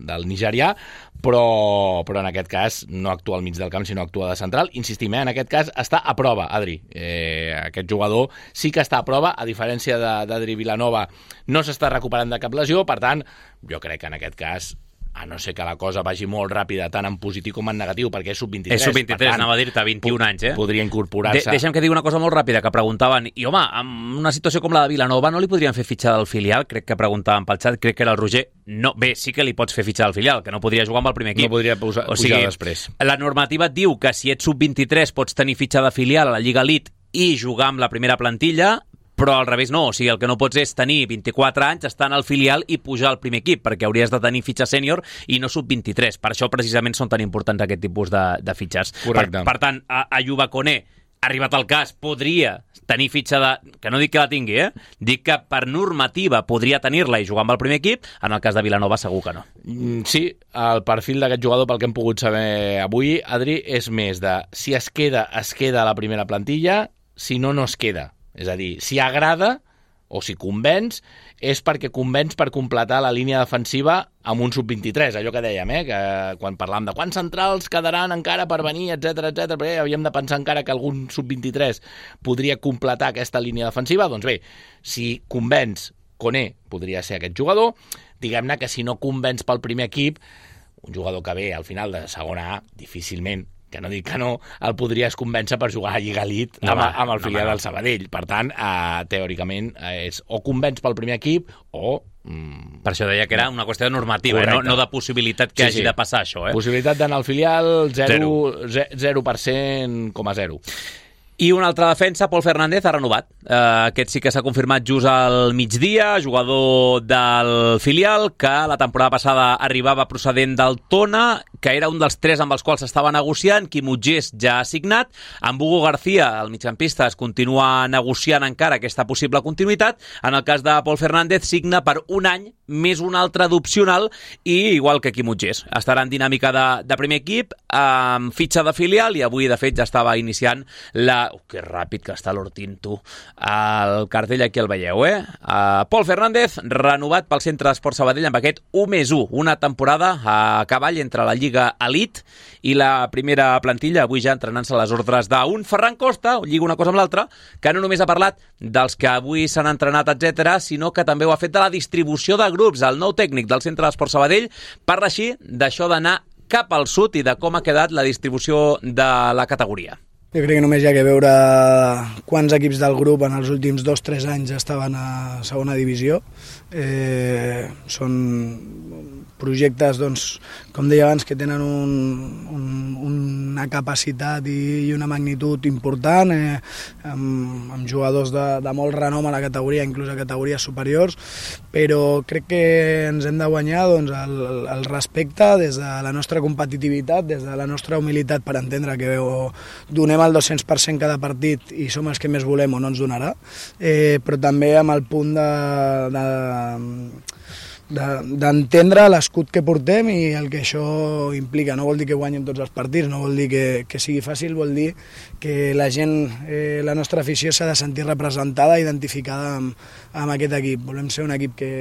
del nigerià, però, però en aquest cas no actua al mig del camp, sinó actua de central. Insistim, eh, en aquest cas està a prova, Adri. Eh, aquest jugador sí que està a prova, a diferència d'Adri Vilanova, no s'està recuperant de cap lesió, per tant, jo crec que en aquest cas a no ser que la cosa vagi molt ràpida, tant en positiu com en negatiu, perquè és sub vint-i-tres. És sub vint-i-tres, anava a dir-te vint-i-un anys, eh? Podria incorporar-se. De deixa'm que digui una cosa molt ràpida, que preguntaven, i home, en una situació com la de Vilanova no li podrien fer fitxar del filial? Crec que preguntaven pel xat, crec que era el Roger. No, bé, sí que li pots fer fitxar del filial, que no podria jugar amb el primer equip. No podria pujar, o sigui, pujar després. La normativa et diu que si ets sub vint-i-tres pots tenir fitxa de filial a la Lliga Elite i jugar amb la primera plantilla, però al revés no, o sigui, el que no pots és tenir vint-i-quatre anys, estar en el filial i pujar al primer equip, perquè hauries de tenir fitxa sènior i no sub vint-i-tres. Per això precisament són tan importants aquest tipus de, de fitxes. Correcte. Per, per tant, a, a Yuba Koné, arribat el cas, podria tenir fitxa de... Que no dic que la tingui, eh? Dic que per normativa podria tenir-la i jugar amb el primer equip, en el cas de Vilanova segur que no. Sí, el perfil d'aquest jugador, pel que hem pogut saber avui, Adri, és més de si es queda, es queda a la primera plantilla, si no, no es queda. És a dir, si agrada o si convenç, és perquè convenç per completar la línia defensiva amb un sub vint-i-tres, allò que dèiem, eh? Que quan parlàvem de quants centrals quedaran encara per venir, etcètera, etcètera, perquè havíem de pensar encara que algun sub vint-i-tres podria completar aquesta línia defensiva, doncs bé, si convenç Koné podria ser aquest jugador, diguem-ne que si no convenç pel primer equip, un jugador que ve al final de segona A, difícilment, que no dic que no, el podries convèncer per jugar a Lliga Elite no, amb, amb el filial no, no. del Sabadell. Per tant, eh, teòricament, eh, és o convenç pel primer equip o... Mm, per això deia que era una qüestió de normativa, eh? no, no de possibilitat que sí, hagi sí. de passar això. Eh? Possibilitat d'anar al filial zero per cent coma zero. I una altra defensa, Pol Fernández, ha renovat. Uh, aquest sí que s'ha confirmat just al migdia, jugador del filial, que la temporada passada arribava procedent del Tona, que era un dels tres amb els quals s'estava negociant. Quim Utgés ja ha signat. Amb Hugo García, el migcampista, es continua negociant encara aquesta possible continuïtat. En el cas de Pol Fernández, signa per un any més un altre d'opcional i igual que Quim Utgés. Estarà en dinàmica de, de primer equip, amb fitxa de filial, i avui, de fet, ja estava iniciant la... Oh, que ràpid que està l'Hortín, tu. El cartell aquí el veieu, eh? Uh, Pol Fernández, renovat pel Centre d'Esport Sabadell amb aquest u més u, una temporada a cavall entre la Lliga Elite i la primera plantilla, avui ja entrenant-se a les ordres d'un Ferran Costa, lliga una cosa amb l'altra, que no només ha parlat dels que avui s'han entrenat, etcètera, sinó que també ho ha fet de la distribució de grups. El nou tècnic del Centre d'Esport Sabadell parla així d'això d'anar cap al sud i de com ha quedat la distribució de la categoria. Jo crec que només hi ha que veure quants equips del grup en els últims dos o tres anys estaven a segona divisió. Eh, són projectes, doncs, com deia abans, que tenen un, un, una capacitat i, i una magnitud important, eh, amb, amb jugadors de, de molt renom a la categoria, inclús a categories superiors, però crec que ens hem de guanyar doncs, el, el respecte des de la nostra competitivitat, des de la nostra humilitat per entendre que o donem el dos-cents per cent cada partit i som els que més volem o no ens donarà, eh, però també amb el punt de... de d'entendre l'escut que portem i el que això implica. No vol dir que guanyem tots els partits, no vol dir que, que sigui fàcil, vol dir que la gent, eh, la nostra afició s'ha de sentir representada, identificada amb, amb aquest equip. Volem ser un equip que,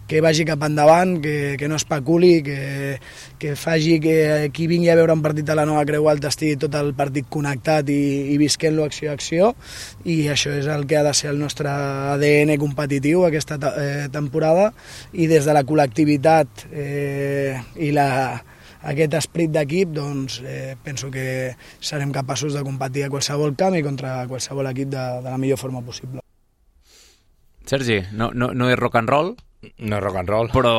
que vagi cap endavant, que, que no especuli, que, que faci que qui vingui a veure un partit a la Nova Creu Alta estigui tot el partit connectat i, i visquent-lo acció a acció, i això és el que ha de ser el nostre A D N competitiu aquesta eh, temporada, i des de la col·lectivitat eh, i la, aquest esperit d'equip, doncs eh, penso que serem capaços de competir a qualsevol camp i contra qualsevol equip de, de la millor forma possible. Sergi, no, no, no és rock and roll? No és rock and roll. Però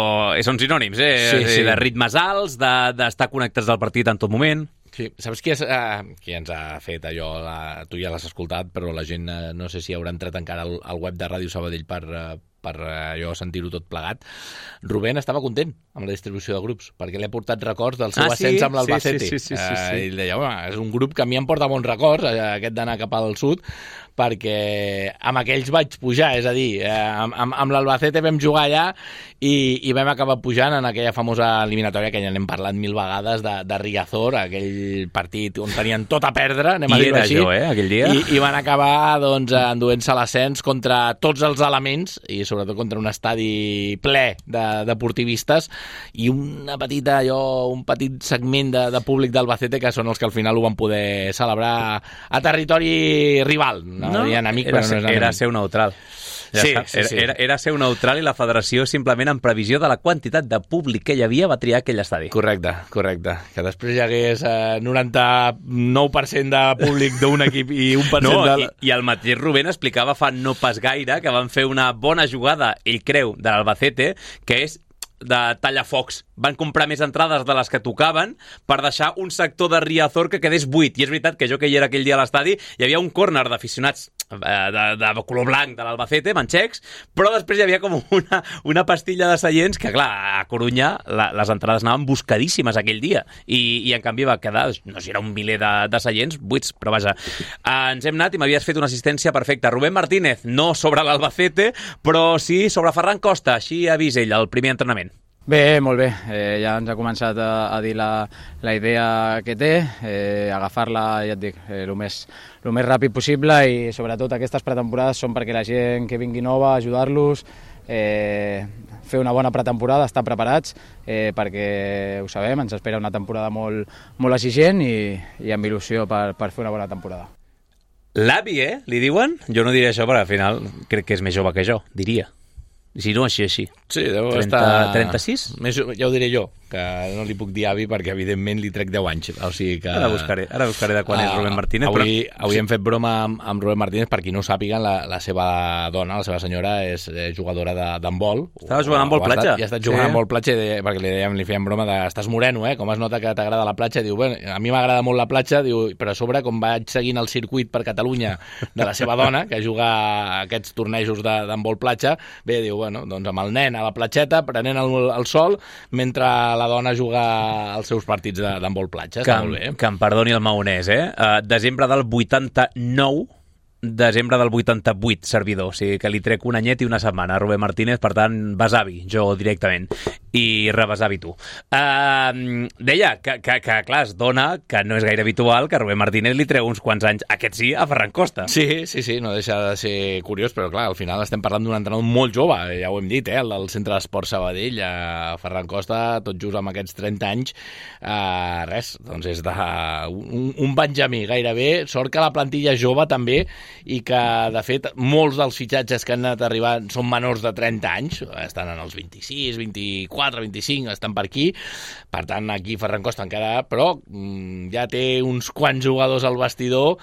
són sinònims, eh? Sí, sí. De ritmes alts, d'estar de, connectats al partit en tot moment. Sí, saps qui, és, uh, qui ens ha fet allò? La, tu ja l'has escoltat, però la gent uh, no sé si haurà entrat encara al, al web de Ràdio Sabadell per... Uh, per allò sentir-ho tot plegat. Rubén estava content amb la distribució de grups, perquè li ha portat records del seu ah, ascens sí? amb l'Albacete. Sí, sí, sí, sí, sí, sí. Uh, I ell deia, home, és un grup que a mi em porta bons records, aquest d'anar cap al sud, perquè amb aquells vaig pujar, és a dir, eh, amb, amb, amb l'Albacete vam jugar allà i, i vam acabar pujant en aquella famosa eliminatòria que ja n'hem parlat mil vegades de, de Riazor, aquell partit on tenien tot a perdre, anem a dir-ho així. Jo, eh, aquell dia. I, i van acabar doncs, enduent-se l'ascens contra tots els elements, i sobretot contra un estadi ple de deportivistes i una petita, allò, un petit segment de, de públic d'Albacete que són els que al final ho van poder celebrar a territori rival. No, no, amic, era, però no és era seu neutral. Ja sí, està. sí, sí. Era, era ser neutral i la federació simplement en previsió de la quantitat de públic que hi havia va triar aquell estadi. Correcte, correcte. Que després hi hagués eh, noranta-nou per cent de públic d'un equip i un per cent No, de... i, i el mateix Rubén explicava fa no pas gaire que van fer una bona jugada, ell creu, de l'Albacete, que és de tallafocs. Van comprar més entrades de les que tocaven per deixar un sector de Riazor que quedés buit. I és veritat que jo que hi era aquell dia a l'estadi hi havia un córner d'aficionats eh, de, de color blanc de l'Albacete, manxecs, però després hi havia com una, una pastilla de seients que, clar, a Corunya la, les entrades anaven buscadíssimes aquell dia i, i en canvi va quedar, no sé, era un miler de, de seients buits, però vaja, eh, ens hem anat i m'havies fet una assistència perfecta. Rubén Martínez, no sobre l'Albacete, però sí sobre Ferran Costa, així ha vist ell el primer entrenament. Bé, molt bé. Eh, ja ens ha començat a, a dir la, la idea que té, eh, agafar-la, ja et dic, eh, el més, el més ràpid possible i sobretot aquestes pretemporades són perquè la gent que vingui nova, ajudar-los, eh, fer una bona pretemporada, estar preparats, eh, perquè ho sabem, ens espera una temporada molt, molt exigent i, i amb il·lusió per, per fer una bona temporada. L'avi, eh? Li diuen? Jo no diré això, perquè al final crec que és més jove que jo, diria. Si no, així, així. Sí, deu trenta, estar... trenta-sis? Més, ja ho diré jo, que no li puc dir avi perquè evidentment li trec deu anys. O sigui que... Ara buscaré, ara buscaré de quan uh, és Rubén Martínez. Avui, però... avui hem fet broma amb, amb Rubén Martínez, per qui no ho sàpiguen, la, la seva dona, la seva senyora, és eh, jugadora d'handbol. Estava jugant a handbol platja. I ha estat jugant sí. a handbol platja de, perquè li, dèiem, li fèiem broma de estàs moreno, eh? Com es nota que t'agrada la platja? Diu, bueno, a mi m'agrada molt la platja, diu, però a sobre, com vaig seguint el circuit per Catalunya de la seva dona, que juga a aquests tornejos d'handbol platja, bé, diu, bueno, doncs amb el nen a la platxeta, prenent el, el sol, mentre la dona juga als seus partits d'handbol platja. Està que, molt bé. Que em perdoni el maonès, eh? Uh, desembre del vuitanta-nou, desembre del vuitanta-vuit, servidor. O sigui que li trec un anyet i una setmana a Rubén Martínez, per tant, besavi, jo directament. I rebesavi tu. Uh, deia que, que, que, clar, es dona que no és gaire habitual que Rubén Martínez li treu uns quants anys, aquest sí, a Ferran Costa. Sí, sí, sí, no deixa de ser curiós, però clar, al final estem parlant d'un entrenador molt jove, ja ho hem dit, eh? El del Centre d'Esport Sabadell, a Ferran Costa, tot just amb aquests trenta anys, uh, res, doncs és de, un, un benjamí gairebé, sort que la plantilla és jove també, i que, de fet, molts dels fitxatges que han anat arribant són menors de trenta anys, estan en els vint-i-sis, vint-i-quatre, vint-i-cinc, estan per aquí, per tant, aquí Ferran Costa encara, però mm, ja té uns quants jugadors al vestidor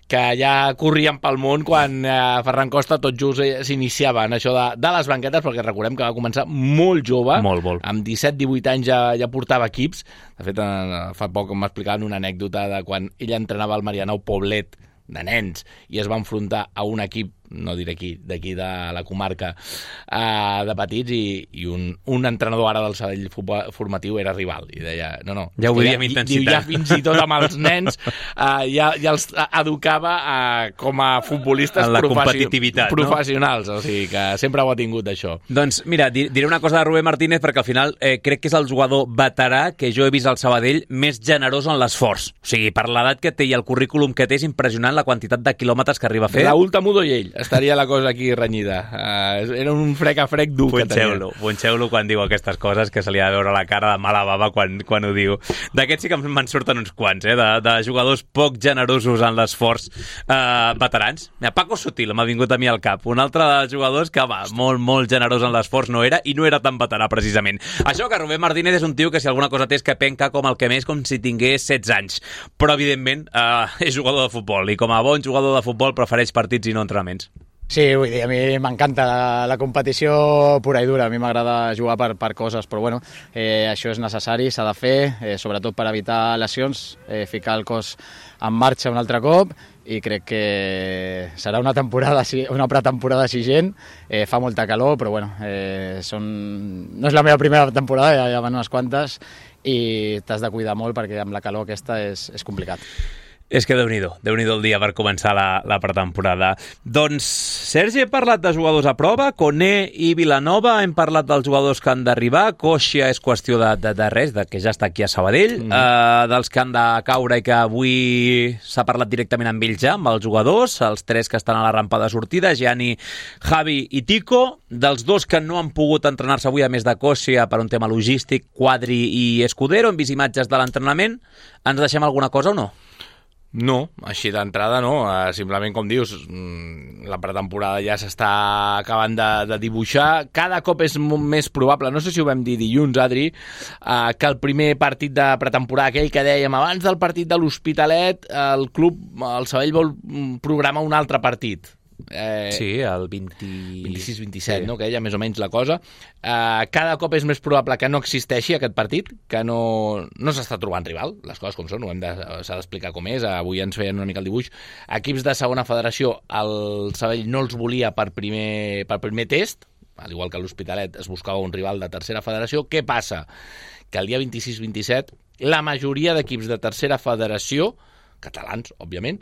que ja corrien pel món quan eh, Ferran Costa tot just eh, s'iniciava en això de, de les banquetes, perquè recordem que va començar molt jove, molt, molt. amb disset divuit anys ja, ja portava equips. De fet, eh, fa poc m'explicaven una anècdota de quan ell entrenava el Marianao Poblet de nens i es va enfrontar a un equip, no diré aquí, d'aquí de la comarca, uh, de petits, i, i un, un entrenador ara del Sabadell formatiu era rival, i deia, no, no, ja ho veia amb intensitat. intensitat. Diu, ja fins i tot amb els nens uh, ja, ja els educava uh, com a futbolistes en la professi competitivitat, professionals, no? O sigui que sempre ho ha tingut, això. Doncs mira, diré una cosa de Rubén Martínez, perquè al final eh, crec que és el jugador veterà que jo he vist al Sabadell més generós en l'esforç. O sigui, per l'edat que té i el currículum que té és impressionant la quantitat de quilòmetres que arriba a fer. Raúl Tamudo i ell, estaria la cosa aquí renyida. Uh, era un frec a frec dur que tenia. Punxeu-lo quan diu aquestes coses, que se li ha de veure la cara de mala bava quan, quan ho diu. D'aquests sí que me'n surten uns quants, eh? de, de jugadors poc generosos en l'esforç, uh, veterans. Mira, Paco Sutil m'ha vingut a mi al cap. Un altre de jugadors que, va, molt, molt generós en l'esforç no era, i no era tan veterà, precisament. Això que Rubén Martínez és un tio que si alguna cosa té és que penca com el que més, com si tingués setze anys. Però, evidentment, uh, és jugador de futbol, i com a bon jugador de futbol prefereix partits i no entrenaments. Sí, vull dir, a mi m'encanta la, la competició pura i dura, a mi m'agrada jugar per, per coses, però bueno, eh, això és necessari, s'ha de fer, eh, sobretot per evitar lesions, eh, ficar el cos en marxa un altre cop, i crec que serà una temporada, una pretemporada exigent, eh, fa molta calor, però bueno, eh, són... no és la meva primera temporada, ja, ja van unes quantes, i t'has de cuidar molt perquè amb la calor aquesta és, és complicat. És que Déu-n'hi-do, Déu-n'hi-do el dia per començar la, la pretemporada. Doncs, Sergi, he parlat de jugadors a prova, Koné i Vilanova, hem parlat dels jugadors que han d'arribar, Coixia és qüestió de, de, de res, de que ja està aquí a Sabadell, mm. uh, dels que han de caure i que avui s'ha parlat directament amb ells ja, amb els jugadors, els tres que estan a la rampa de sortida, Gianni, Javi i Tico, dels dos que no han pogut entrenar-se avui, a més de Coixia, per un tema logístic, Quadri i Escudero, hem vist imatges de l'entrenament, ens deixem alguna cosa o no? No, així d'entrada no, uh, simplement com dius, la pretemporada ja s'està acabant de, de dibuixar, cada cop és més probable, no sé si ho vam dir dilluns, Adri, uh, que el primer partit de pretemporada, aquell que dèiem abans del partit de l'Hospitalet, el club, el Sabadell vol programar un altre partit. Eh, sí, el vint... vint-i-sis vint-i-set, sí. No? Que ella més o menys la cosa. Uh, cada cop és més probable que no existeixi aquest partit, que no, no s'està trobant rival, les coses com són, ho hem de, s'ha d'explicar com és. Avui ens feien una mica el dibuix. Equips de segona federació, el Sabadell no els volia per primer, per primer test, al igual que l'Hospitalet es buscava un rival de tercera federació. Què passa? Que el dia vint-i-sis vint-i-set la majoria d'equips de tercera federació, catalans, òbviament,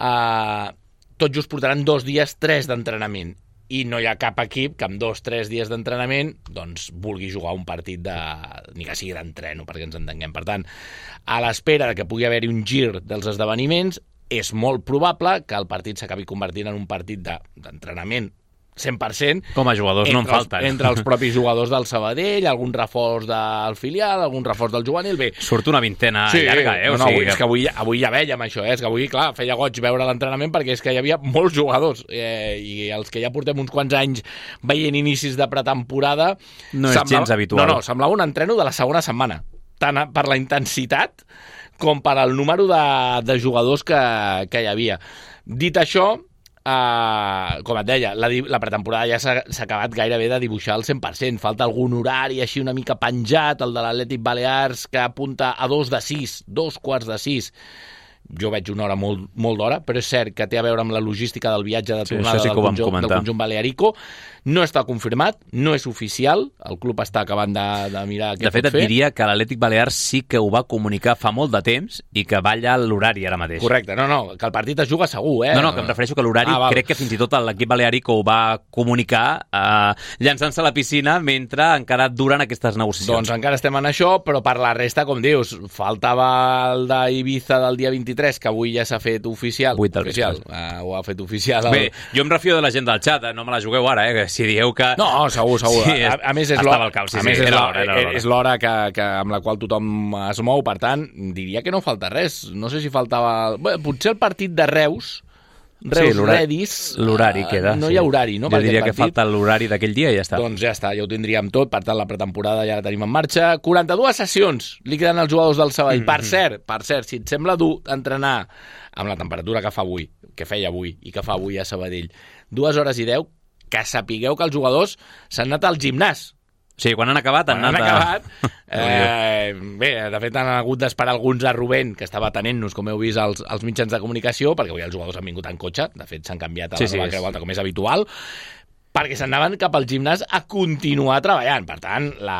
eh... tot just portaran dos dies, tres d'entrenament. I no hi ha cap equip que amb dos, tres dies d'entrenament doncs vulgui jugar un partit de... ni que sigui d'entreno, perquè ens entenguem. Per tant, a l'espera que pugui haver-hi un gir dels esdeveniments, és molt probable que el partit s'acabi convertint en un partit d'entrenament cent per cent. Com a jugadors no en falten. Els, entre els propis jugadors del Sabadell, algun reforç del filial, algun reforç del juvenil. Bé, surt una vintena sí, llarga, eh? No, o no, sigui avui, és que avui, avui ja veiem això, eh? És que avui, clar, feia goig veure l'entrenament perquè és que hi havia molts jugadors eh, i els que ja portem uns quants anys veient inicis de pretemporada... No és semblava, gens habitual. No, no, semblava un entreno de la segona setmana, tant per la intensitat com per al número de, de jugadors que, que hi havia. Dit això, Uh, com et deia, la, la pretemporada ja s'ha, s'ha acabat gairebé de dibuixar al cent per cent. Falta algun horari així una mica penjat, el de l'Atlètic Balears, que apunta a dos de sis, dos quarts de sis. Jo veig una hora molt, molt d'hora, però és cert que té a veure amb la logística del viatge de tornada sí, sí del, conjunt, del conjunt balearico. No està confirmat, no és oficial, el club està acabant de, de mirar què de fet, pot fer. Et diria que l'Atlètic Balears sí que ho va comunicar fa molt de temps i que balla l'horari ara mateix. Correcte, no, no, que el partit es juga segur, eh? No, no, que em refereixo que l'horari, ah, crec que fins i tot l'equip balearico ho va comunicar eh, llançant-se a la piscina mentre encara duren aquestes negociacions. Doncs encara estem en això, però per la resta, com dius, faltava el d'Ibiza del dia vint-i-tres, que avui ja s'ha fet oficial. oficial. Uh, ho ha fet oficial. El... Bé, jo em refio de la gent del xat, eh? No me la jugueu ara, eh? Si dieu que... No, segur, segur. Sí, a, a més, és l'hora, cap, sí, a més sí, és l'hora, l'hora, és l'hora que, que, amb la qual tothom es mou, per tant, diria que no falta res. No sé si faltava... Bé, potser el partit de Reus, Reus sí, l'horari, Redis... L'horari queda. No sí. hi ha horari, no? Jo diria que falta l'horari d'aquell dia i ja està. Doncs ja està, ja ho tindríem tot. Per tant, la pretemporada ja la tenim en marxa. quaranta-dues sessions li queden als jugadors del Sabadell. Mm-hmm. Per cert, per cert, si et sembla dur entrenar amb la temperatura que fa avui, que feia avui i que fa avui a Sabadell, dues hores i deu, que sapigueu que els jugadors s'han anat al gimnàs. Sí, quan han acabat han quan anat han a... acabat. eh, bé, de fet han hagut d'esperar alguns a Rubén, que estava atenent-nos, com heu vist, als, als mitjans de comunicació, perquè avui els jugadors han vingut en cotxe, de fet s'han canviat a la sí, nova sí, Creu Alta, com és habitual, perquè s'anaven cap al gimnàs a continuar treballant. Per tant, la,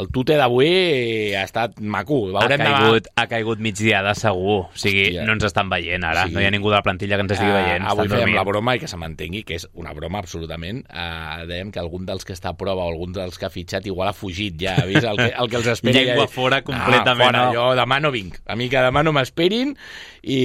el tute d'avui ha estat maco. Ha caigut, ha caigut migdiada segur. O sigui, hòstia, no ens estan veient ara. Sí. No hi ha ningú de la plantilla que ens estigui veient. Uh, avui fèiem la broma, i que se m'entengui, que és una broma absolutament. Uh, dèiem que algun dels que està a prova o algun dels que ha fitxat igual ha fugit ja. Ha vist el que, el que els espera. Llengua ja... fora completament. Ah, fora, no. Jo demà no vinc. A mi que demà no m'esperin i,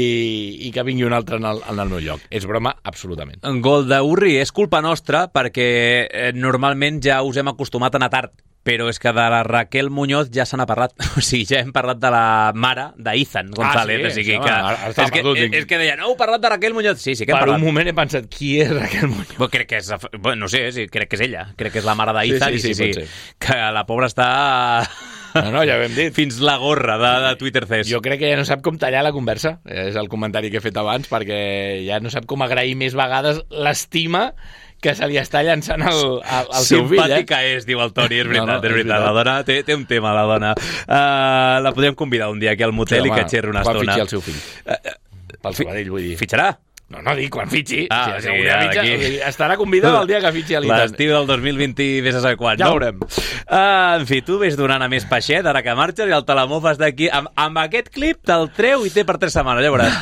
i que vingui un altre en el, en el meu lloc. És broma absolutament. En gol d'Urri és culpa nostra perquè eh, normalment ja us hem acostumat a anar tard, però és que de la Raquel Muñoz ja se n'ha parlat. O sigui, ja hem parlat de la mare d'Ethan González. Ah, sí? O sigui, que, és, que, és, és que deia, no, heu parlat de Raquel Muñoz. Sí, sí que hem per parlat. Per un moment he pensat, qui és Raquel Muñoz? Bueno, crec que és, bueno, no sé, sí, crec que és ella. Crec que és la mare d'Ethan. Sí, sí, sí, sí, sí, sí. Que la pobra està... No, no, ja ho hem dit. Fins la gorra de, de Twitter Fest. Jo crec que ja no sap com tallar la conversa. És el comentari que he fet abans, perquè ja no sap com agrair més vegades l'estima que se li està llançant al, al, al seu fill. Simpàtica eh? és, diu el Toni, és veritat, no, no, és veritat. La dona té, té un tema, la dona. Uh, la podríem convidar un dia aquí al motel sí, i home, que xerri una estona. Quan fitxi el seu fill? Uh, Pel Sabadell, vull dir. Fitxarà? No, no, dic, quan fitxi. Ah, si sí, ja, mitja, estarà convidat el dia que fitxi a l'Itan. L'estiu del dos mil vint, vés a saber quan. Ja no? veurem. Uh, en fi, tu ves donant a més peixet, ara que marxes, i el te la mofes d'aquí. Amb, amb aquest clip te'l treu i té per tres setmanes, ja veuràs.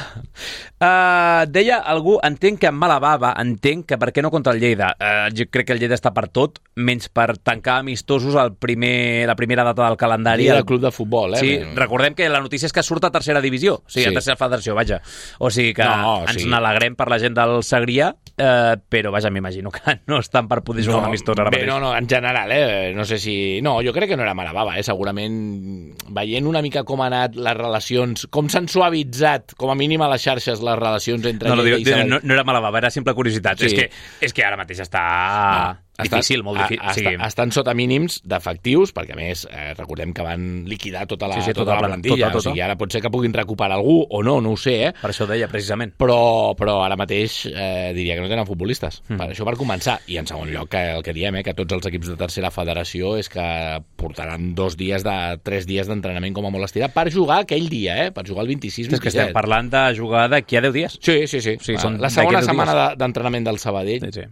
Uh, deia algú, entenc que amb mala bava, entenc que per què no contra el Lleida. Uh, jo crec que el Lleida està per tot, menys per tancar amistosos el primer, la primera data del calendari. Lleida el club de futbol, eh? Sí, recordem que la notícia és que surt a tercera divisió, o sigui, sí. a tercera federació, vaja. O sigui que no, ens sí. n'alegrem per la gent del Segrià, eh, però vaja, m'imagino que no estan per poder jugar no, un amistós ara bé, mateix. No, no, en general, eh? No sé si... No, jo crec que no era mala bava, eh? Segurament veient una mica com han anat les relacions, com s'han suavitzat, com a mínim a les xarxes, les relacions entre no, no, Lleida diu, i Sabadell. No, no era mala bava, era simple curiositat. Sí. És, que, és que ara mateix està... No. Difícil, molt difícil. A, a, sí. Estan sota mínims d'efectius, perquè a més eh, recordem que van liquidar tota la, sí, sí, tota tota la plantilla, tota, tota. O sigui, ara pot ser que puguin recuperar algú o no, no ho sé, eh? Per això ho deia, precisament. Però, però ara mateix eh, diria que no tenen futbolistes. Mm. Per això per començar. I en segon lloc, que el que diem, eh, que tots els equips de tercera federació és que portaran dos dies de tres dies d'entrenament com a molt estirat per jugar aquell dia, eh? Per jugar el vint-i-sis vint-i-set. És que estem parlant de jugar d'aquí a deu dies. Sí, sí, sí. sí són la segona setmana d'entrenament del Sabadell. Sí, sí.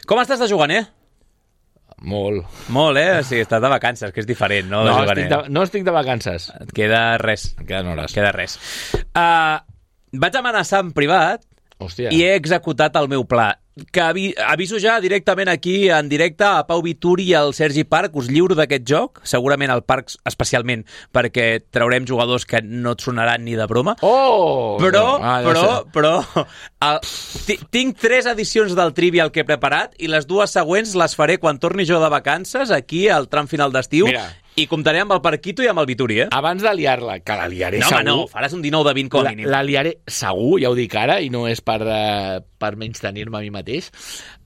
Com estàs de jugant, eh? Molt. Molt, eh? O sigui, estàs de vacances, que és diferent, no? No, estic de, no estic de vacances. Et queda res. Et queden hores. Queda res. Uh, vaig amenaçar en privat Hòstia. I he executat el meu pla. Que avi aviso ja directament aquí en directe a Pau Vituri i al Sergi Parc, us lliuro d'aquest joc, segurament al Parc especialment, perquè traurem jugadors que no et sonaran ni de broma. Oh! Però, ah, ja però, sé. però, el, tinc tres edicions del Trivial que he preparat i les dues següents les faré quan torni jo de vacances, aquí al tram final d'estiu. Mira. I comptaré amb el Parquito i amb el Vituri, eh? Abans de liar-la, que la liaré no, segur... No, home, no, faràs un dinou de vint com a mínim. La, la liaré segur, ja ho dic ara, i no és per, uh, per menys tenir-me a mi mateix.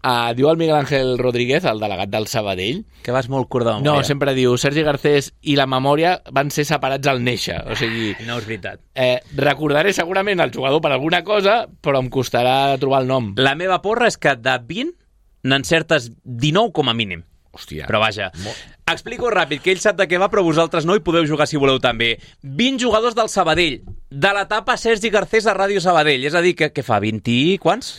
Uh, diu el Miguel Ángel Rodríguez, el delegat del Sabadell... Que vas molt curt de memòria. No, sempre diu, Sergi Garcés i la memòria van ser separats al néixer. O sigui... No és veritat. Eh, recordaré segurament el jugador per alguna cosa, però em costarà trobar el nom. La meva porra és que de vint n'encertes dinou com a mínim. Hòstia. Però vaja, explico ràpid, que ell sap de què va, però vosaltres no, i podeu jugar si voleu també. vint jugadors del Sabadell, de l'etapa Sergi Garcés a Ràdio Sabadell, és a dir, que, que fa vint i quants?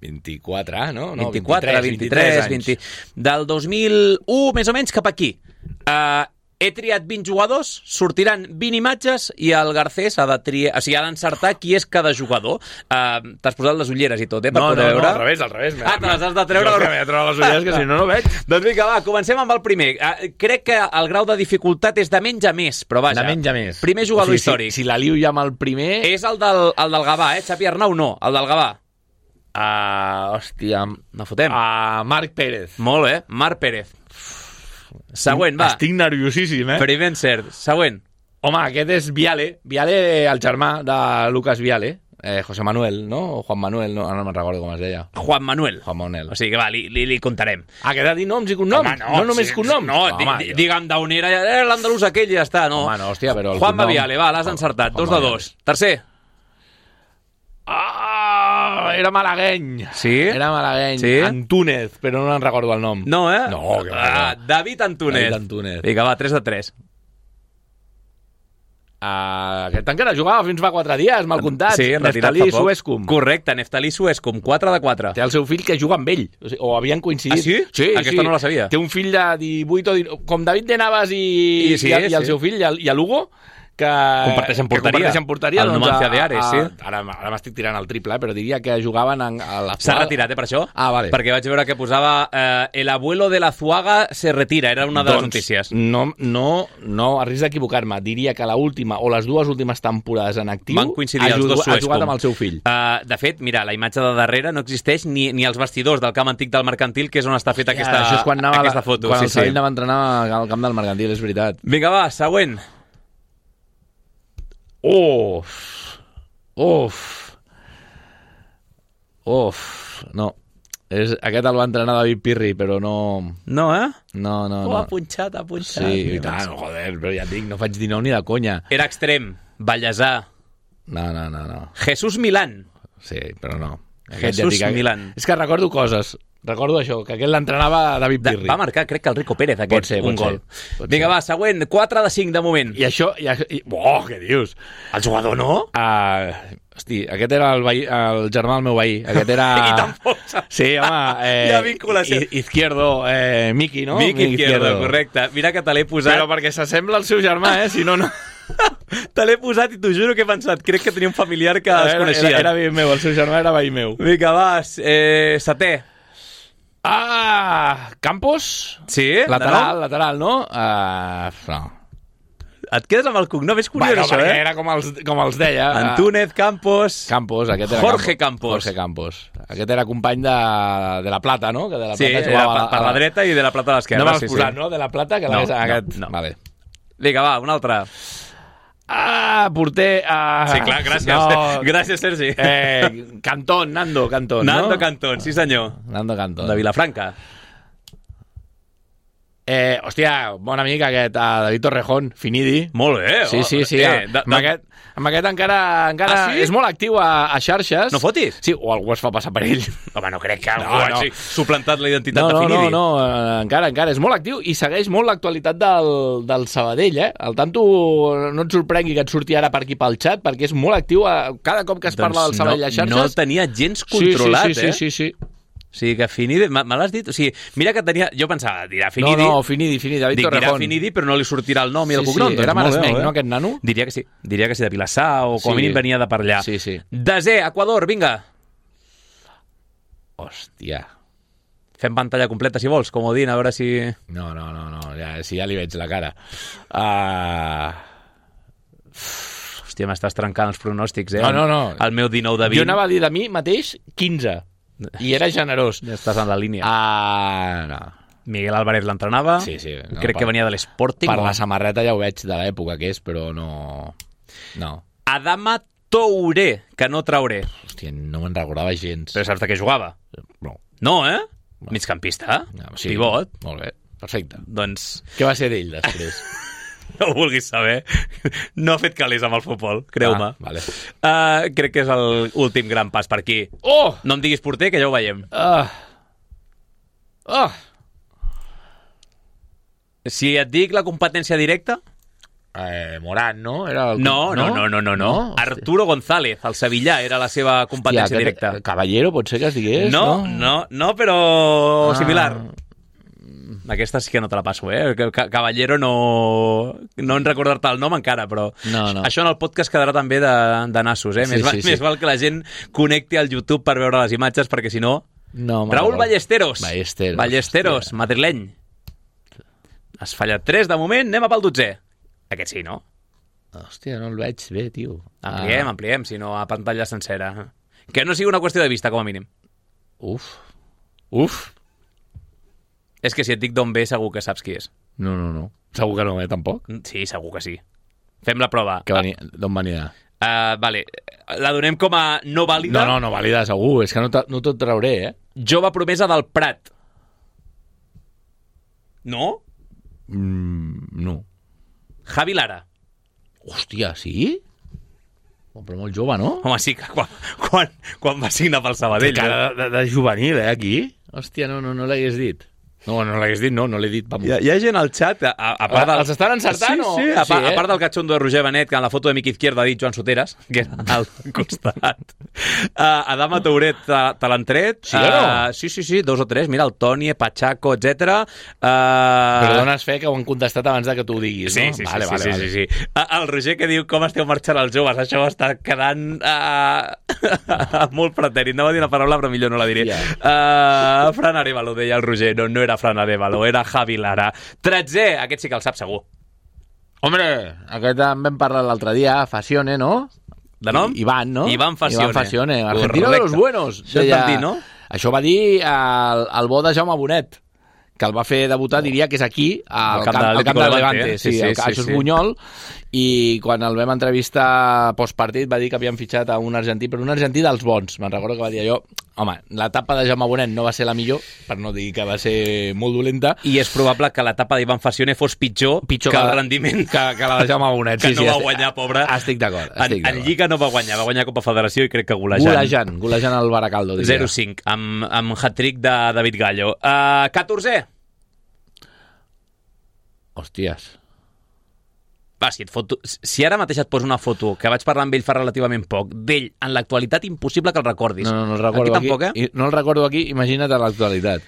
vint-i-quatre, no? no vint-i-quatre, vint-i-tres, vint... Del dos mil u, més o menys, cap aquí. Uh, he triat vint jugadors, sortiran vint imatges i el Garcés ha de triar, o sigui, ha d'encertar qui és cada jugador. Uh, T'has posat les ulleres i tot, eh, per no, poder no, veure? No, al revés, al revés. Ah, te les has de treure? Jo m'he de treure les ulleres, que si no, no veig. Doncs vinga, va, comencem amb el primer. Uh, crec que el grau de dificultat és de menys a més, però vaja. De menys a més. Primer jugador o sigui, històric. Si, si la liu ja amb el primer... És el del, el del Gavà, eh? Xavi Arnau no, el del Gavà. Uh, hòstia... No fotem. Uh, Marc Pérez. Molt bé, Marc Pérez. Següent, va. Estic nerviosíssim, eh? Primer encert. Següent. Home, aquest és Viale. Viale, el germà de Lucas Viale. Eh, José Manuel, no? O Juan Manuel, no, no me'n recordo com es deia. Juan Manuel. Juan Manuel. O sigui que va, li, li, li contarem. Ah, que ha de dir noms i cognoms? Home, no, no només sí, cognoms? No, Home, di, digue'm d'on era, era l'andalús aquell i ja està, no? Home, no, hòstia, però el Juan cognom... Viale, va, l'has encertat. Dos de dos. Tercer. Ah, era malagueny. Sí? Era malagueny. Sí? Antúnez, però no en recordo el nom. No, eh? No, que va, ah, no. David Antúnez. David Antúnez. Vinga, va, tres de tres. Uh, aquest encara jugava fins fa quatre dies, mal comptat. Sí, retirat Neftalí fa poc. Suescum. Correcte, Neftalí Suescum, quatre de quatre. Té el seu fill que juga amb ell, o, sigui, o havien coincidit. Ah, sí? Sí, Aquesta sí. no la sabia. Té un fill de divuit o dinou, com David de Navas i, I, sí, i, i el sí. seu fill, i el, i el Hugo, que comparteixen porteria. Que comparteixen porteria el doncs, Numancia a, de Ares, a, sí. Ara, ara m'estic tirant el triple, eh, però diria que jugaven en, a la S'ha retirat, eh, per això? Ah, vale. Perquè vaig veure que posava eh, el abuelo de la Zuaga se retira, era una de les doncs, notícies. No, no, no, a risc d'equivocar-me, diria que la última o les dues últimes temporades en actiu van coincidir els dos ha Suescum. jugat amb el seu fill. Uh, de fet, mira, la imatge de darrere no existeix ni, ni als vestidors del camp antic del Mercantil, que és on està feta aquesta, Això és quan anava aquesta la, foto. Quan sí, el Sabadell sí. anava a entrenar al camp del Mercantil, és veritat. Vinga, va, següent. Uf. Uf. Uf. No. És, aquest el va entrenar David Pirri, però no... No, eh? No, no, Oh, no. ha punxat, ha punxat. Sí, i tant, joder, però ja et dic, no faig dinou ni de conya. Era extrem, Vallèsà. No, no, no, no. Jesús Milán. Sí, però no. Aquest Jesús ja dic, Milán. És que recordo coses. Recordo això, que aquest l'entrenava David De, Pirri. va marcar, crec que el Rico Pérez, aquest, Pot ser, un pot gol. ser, pot Vinga, ser. va, següent, quatre de cinc de moment. I això... I, això- i, oh, què dius? El jugador no? Uh, hosti, aquest era el, veí, el germà del meu veí. Aquest era... I tampoc saps. Sí, home... Eh, Hi ha vinculació. I- Izquierdo, eh, Miki, no? Miki Izquierdo, correcte. Mira que te l'he posat. Però perquè s'assembla al seu germà, eh? Si no, no... Te l'he posat i t'ho juro que he pensat. Crec que tenia un familiar que es Era, coneixia. era, era veí meu, el seu germà era veí meu. Vinga, va, eh, setè. Ah, Campos? Sí? Lateral, de lateral, no? Uh, no. nou? Et quedes amb el cognom, és curiós, Bueno, això, perquè eh? era com els, com els deia. Antúnez, Campos... Campos, aquest era Jorge Campos. Jorge Campos. Aquest era company de, de la Plata, no? Que de la Sí, Plata era jugava per la dreta i de la Plata a l'esquerra. No m'has sí, posat, sí. no? De la Plata, que No, l'hagués... no, aquest... no. Vale. Vinga, va, un altre. Ah, porter... Ah, Sí, clar, gràcies. No, Gràcies, Sergi. eh, Cantón, Nando Cantón, Nando no? Cantón, sí senyor. Nando Cantón. De Vilafranca. Eh, hòstia, bon amic aquest, uh, David Torrejón, Finidi. Molt bé. Sí, oh, sí, sí. Eh, Eh, de, amb, de... aquest, amb aquest encara, encara Ah, sí? és molt actiu a, a xarxes. No fotis? Sí, o algú es fa passar per ell. Home, no crec que algú No, no. hagi suplantat la identitat No, de no, no, Finidi. no, eh, encara, encara. És molt actiu i segueix molt l'actualitat del, del Sabadell, eh? Al tanto, no et sorprengui que et surti ara per aquí pel xat, perquè és molt actiu a, cada cop que es parla del Sabadell a xarxes. No el tenia gens controlat, sí, sí, sí, eh? sí, sí, sí. O sigui que Finidi, me, me l'has dit? O sigui, mira que tenia... Jo pensava, dirà No, Finidi... no, Finidi, Finidi, David Dic, dirà Torrejón. Finidi, però no li sortirà el nom i el Sí, cognom. sí, Doncs era molt bé, maresmenc, molt bé. no, aquest nano? Diria que sí. Diria que sí, de Vilassar o com a Sí. mínim venia de per allà. Sí, sí. Desè, Equador, vinga. Hòstia. Fem pantalla completa, si vols, comodín, a veure si... No, no, no, no, ja, si ja li veig la cara. Uh... Hòstia, m'estàs trencant els pronòstics, eh? No, no, no. El meu dinou de vint. Jo anava a dir de mi mateix quinze. I era generós. Ja estàs en la línia. Ah, no. Miguel Álvarez l'entrenava. Sí, sí. No, Crec per, que venia de l'Sporting. Per o- la samarreta ja ho veig de l'època que és, però no... No. Adama Touré, que no trauré. Hòstia, no me'n recordava gens. Però saps de què jugava? No. No, eh? Migcampista. no sí. Pivot. Molt bé, perfecte. Doncs Què va ser d'ell després? no ho vulguis saber. No ha fet calés amb el futbol, creu-me. Ah, vale. Uh, crec que és l'últim gran pas per aquí. Oh! No em diguis porter, que ja ho veiem. Ah! Ah! Si et dic la competència directa... Eh, Morán, no? Era el... No, no, no, no, no. no. no? Arturo González, el Sevillà, era la seva competència Hòstia, directa. aquest- Caballero, pot ser que es digués, No, no? no, no, però Ah. similar. Aquesta sí que no te la passo, eh? Que- que- Caballero no... No en recordar-te el nom encara, però... No, no. Això en el podcast quedarà també de, de nassos, eh? Sí, més, va, sí, sí. més val que la gent connecti al YouTube per veure les imatges, perquè si no... No, me'n Raúl recordo. Ballesteros. Ballesteros, Ballesteros, hòstia. madrileny. Has fallat tres de moment, anem a pel dotzè. Aquest sí, no? Hòstia, no el veig bé, tio. Ampliem, Ah. ampliem, si no a pantalla sencera. Que no sigui una qüestió de vista, com a mínim. Uf. Uf. És que si et dic d'on ve, segur que saps qui és. No, no, no. Segur que no, eh, tampoc. Sí, segur que sí. Fem la prova. Que venia... D'on venia? Uh, vale, la donem com a no vàlida. No, no, no valida segur. És que no, te- no te'l trauré, eh? Jove promesa del Prat. No? Mm, no. Javi Lara. Hòstia, sí? Oh, però molt jove, no? Home, sí, que quan, quan, quan va signar pel Sabadell. Té cara de, de, de juvenil, eh, aquí? Hòstia, no, no, no l'hagués dit. No, no l'hagués dit, no, no l'he dit. Vamos. Hi ha, hi ha gent al xat, a, a part del... Els estan encertant sí, o...? Sí, a, Sí, part, eh? a part del catxondo de Roger Benet, que en la foto de Miqui Izquierda ha dit Joan Soteras, que era al costat. Uh, Adama Touret te, te l'han tret. Sí o no? Uh, sí, sí, sí, dos o tres. Mira, el Toni, Pachaco, etcètera. Uh, Però dones fe que ho han contestat abans de que tu ho diguis, Sí, no? sí, vale, sí, vale, sí, vale. sí, sí. Uh, el Roger que diu com esteu marxant els joves, això està quedant uh, molt pretèrit. Anava a dir una paraula, però millor no la diré. Yeah. Uh, Fran Arevalo, deia el Roger. No, no era Fran Arevalo, era Javi Lara. Tretzè, aquest sí que el sap segur. Hombre, aquest en vam parlar l'altre dia, Facione, no? De nom? Iván, no? Iván Facione. Iván Facione, argentino Correcte. de los buenos. Això et van dir, no? Això va dir el, el bo de Jaume Bonet, que el va fer debutar, diria que és aquí, al Al camp camp, de al camp l'Atlético del de Levante. Levante, eh? Sí, Sí, el, sí, això sí, és sí. Bunyol, i quan el vam entrevistar postpartit va dir que havien fitxat a un argentí, però un argentí dels bons. Me'n recordo que va dir allò, home, l'etapa de Jaume Bonet no va ser la millor, per no dir que va ser molt dolenta, I és probable que l'etapa d'Ivan Facione fos pitjor, pitjor que el rendiment que, que la de Jaume Bonet. que sí, no sí, va estic- guanyar, pobre. Estic d'acord. En, estic en d'acord. Lliga no va guanyar, va guanyar Copa Federació i crec que golejant. Golejant, golejant el Baracaldo, diria. zero cinc, amb, amb hat-trick de David Gallo. Uh, catorzè. Hòsties. Va, si, et foto, si ara mateix et poso una foto, que vaig parlar amb ell fa relativament poc, d'ell, en l'actualitat, impossible que el recordis. No, no, no el recordo aquí. Tampoc, aquí. eh? I no el recordo aquí, imagina't a l'actualitat.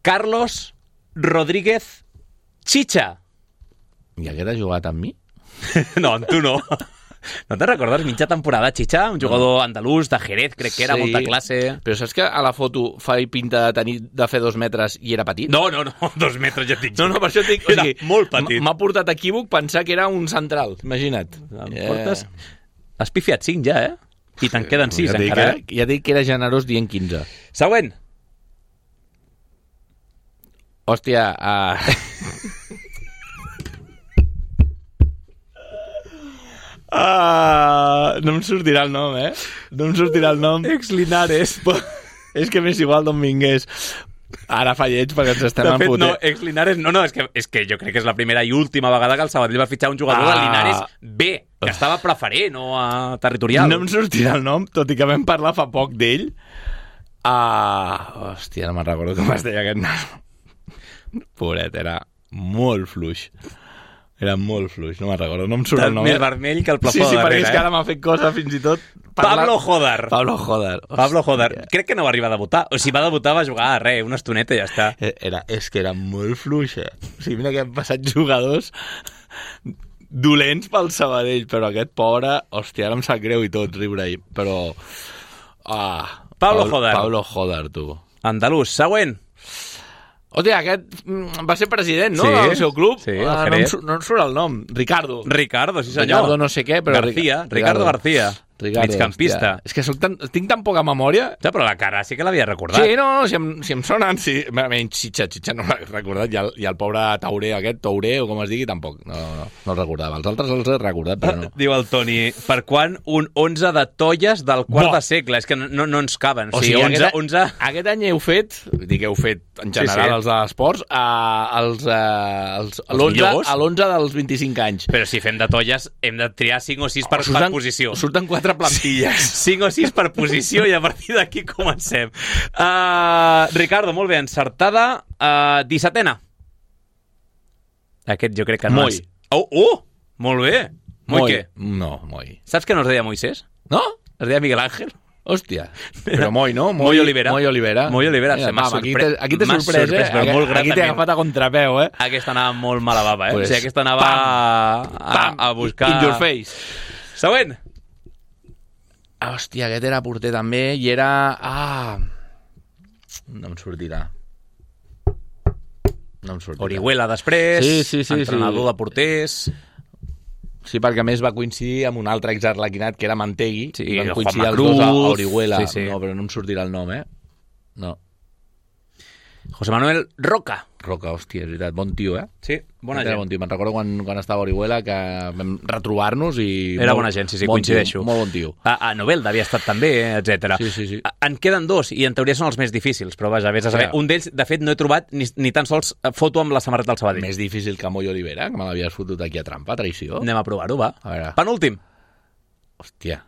Carlos Rodríguez Chicha. I aquest ha jugat amb mi? No, amb tu no. No te'n recordes? Mitja temporada, Chicha, un jugador andalús de Jerez, crec que era, Sí. molta classe. Però saps que a la foto fa pinta de tenir de fer dos metres i era petit? No, no, no, dos metres ja et dic. No, no, per això et dic... Era molt petit. M'ha portat equívoc pensar que era un central, imagina't. Em portes... Has pifiat cinc ja, eh? I te'n queden sis, ja encara. Que, ja dic que era generós dient quinze. Següent. Hòstia, uh... uh, no em sortirà el nom, eh? No em sortirà el nom. Ex-Linares. És que m'és igual d'on vingués. Ara fa lleig perquè ens estem de fet, enfotent. no, ex-Linares, no, no, és que, és que jo crec que és la primera i última vegada que el Sabadell va fitxar un jugador ah. del Linares B, que estava preferent o a territorial. No em sortirà el nom, tot i que vam parlar fa poc d'ell. Uh, hòstia, no me'n recordo com es deia aquest nom. Pobret, era molt fluix. Era molt fluix, no me'n recordo, no em surt el nom. Més vermell que el plafó sí, sí, de darrere. Sí, sí, perquè és que ara m'ha fet cosa fins i tot... Parlar... Pablo Jodar. Pablo Jodar. Pablo Jodar. Crec que no va arribar a debutar. O si va debutar va jugar a res, una estoneta i ja està. Era, és que era molt fluixa. O sigui, mira que han passat jugadors dolents pel Sabadell, però aquest pobre, hòstia, ara em sap greu i tot riure-hi, però... Ah, Pablo Jodar. Pablo Jodar, tu. Andalús. Següent. Hòstia, aquest va ser president, no?, sí, del seu club. Sí, ah, no, em, no em surt el nom. Ricardo. Ricardo, sí senyor. Ricardo no sé què, però... García, Ricardo, Ricardo García. Ricardo, migcampista. Hòstia. És que soc tan, tinc tan poca memòria. Ja, però la cara sí que l'havia recordat. Sí, no, no, si em, si em sonen, sí. Menys Xitxa, Xitxa no l'he recordat. I el, I el pobre Tauré aquest, Tauré, o com es digui, tampoc. No, no, no el recordava. Els altres els he recordat, però no. Diu el Toni, per quan un onze de tolles del quart Bo. de segle? És que no, no ens caben. O sigui, sigui, onze, aquest, onze... aquest any heu fet, dic heu fet en general sí, sí. els de l'esports, uh, els, uh, els, els l'onze dels vint-i-cinc anys. Però si fem de tolles hem de triar cinc o sis per, surten, per posició. Surten quatre plantilles. cinc o sis per posició i a partir d'aquí comencem. Uh, Ricardo, molt bé, encertada. Uh, dissetena. Aquest jo crec que no Moi. és... Oh, oh! Molt bé. Moi, Moi. què? No, Moi. Saps que no es deia Moisés? No? Es deia Miguel Ángel. Hòstia. Però Moi, no? Moi, Moi Olivera. Moi Olivera. Moi Olivera. Mira, M'ha aquí sorpre... aquí t'he sorprès, sorprès, eh? Però molt aquí t'he agafat a contrapeu, eh? Aquesta anava molt mala bava, eh? Pues, o sigui, aquesta anava pam, a, a, a buscar... In your face. Següent. Hòstia, aquest era porter també i era... Ah... No em sortirà. No em sortirà. Orihuela després, sí, sí, sí, entrenador sí. de porters... Sí, perquè a més va coincidir amb un altre exarlequinat que era Mantegui. Sí, van coincidir els Cruz, dos a Orihuela. Sí, sí. No, però no em sortirà el nom, eh? No. José Manuel Roca. Roca, hòstia, és veritat, bon tio, eh? Sí, bona gent. Bon tio. Me'n recordo quan, quan estava a Orihuela que vam retrobar-nos i... Era molt, bona gent, sí, sí, bon coincideixo. Tio, molt bon tio. A, a Novelda havia estat també, etcètera. Sí, sí, sí. En queden dos, i en teoria són els més difícils, però vaja, vés a saber. Ja. Un d'ells, de fet, no he trobat ni, ni tan sols foto amb la samarreta del Sabadell. Més difícil que Moi Olivera, que me l'havies fotut aquí a trampa, traïció. Anem a provar-ho, va. A veure. Penúltim. Hòstia.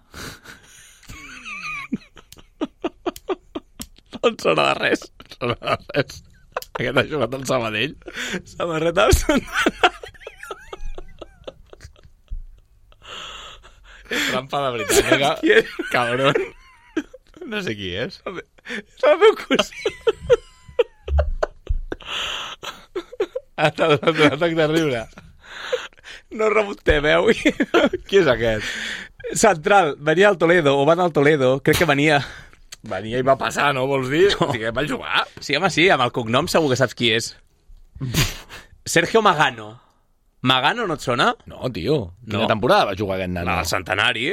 No en sona de res. No sona de res. Aquest ha jugat al Sabadell. Samarreta al És trampa de veritat, eh? Cabron. No sé qui és. És el meu cosí. Està donant un atac de riure. No remuntem, eh? Qui és aquest? Central. Venia al Toledo, o va al Toledo. Crec que venia... Venia i va passar, no? Vols dir? No. Sí, que va jugar. Sí, home, sí, amb el cognom segur que saps qui és. Sergio Magano. Magano no et sona? No, tio. Quina no. temporada va jugar aquest nano? El centenari.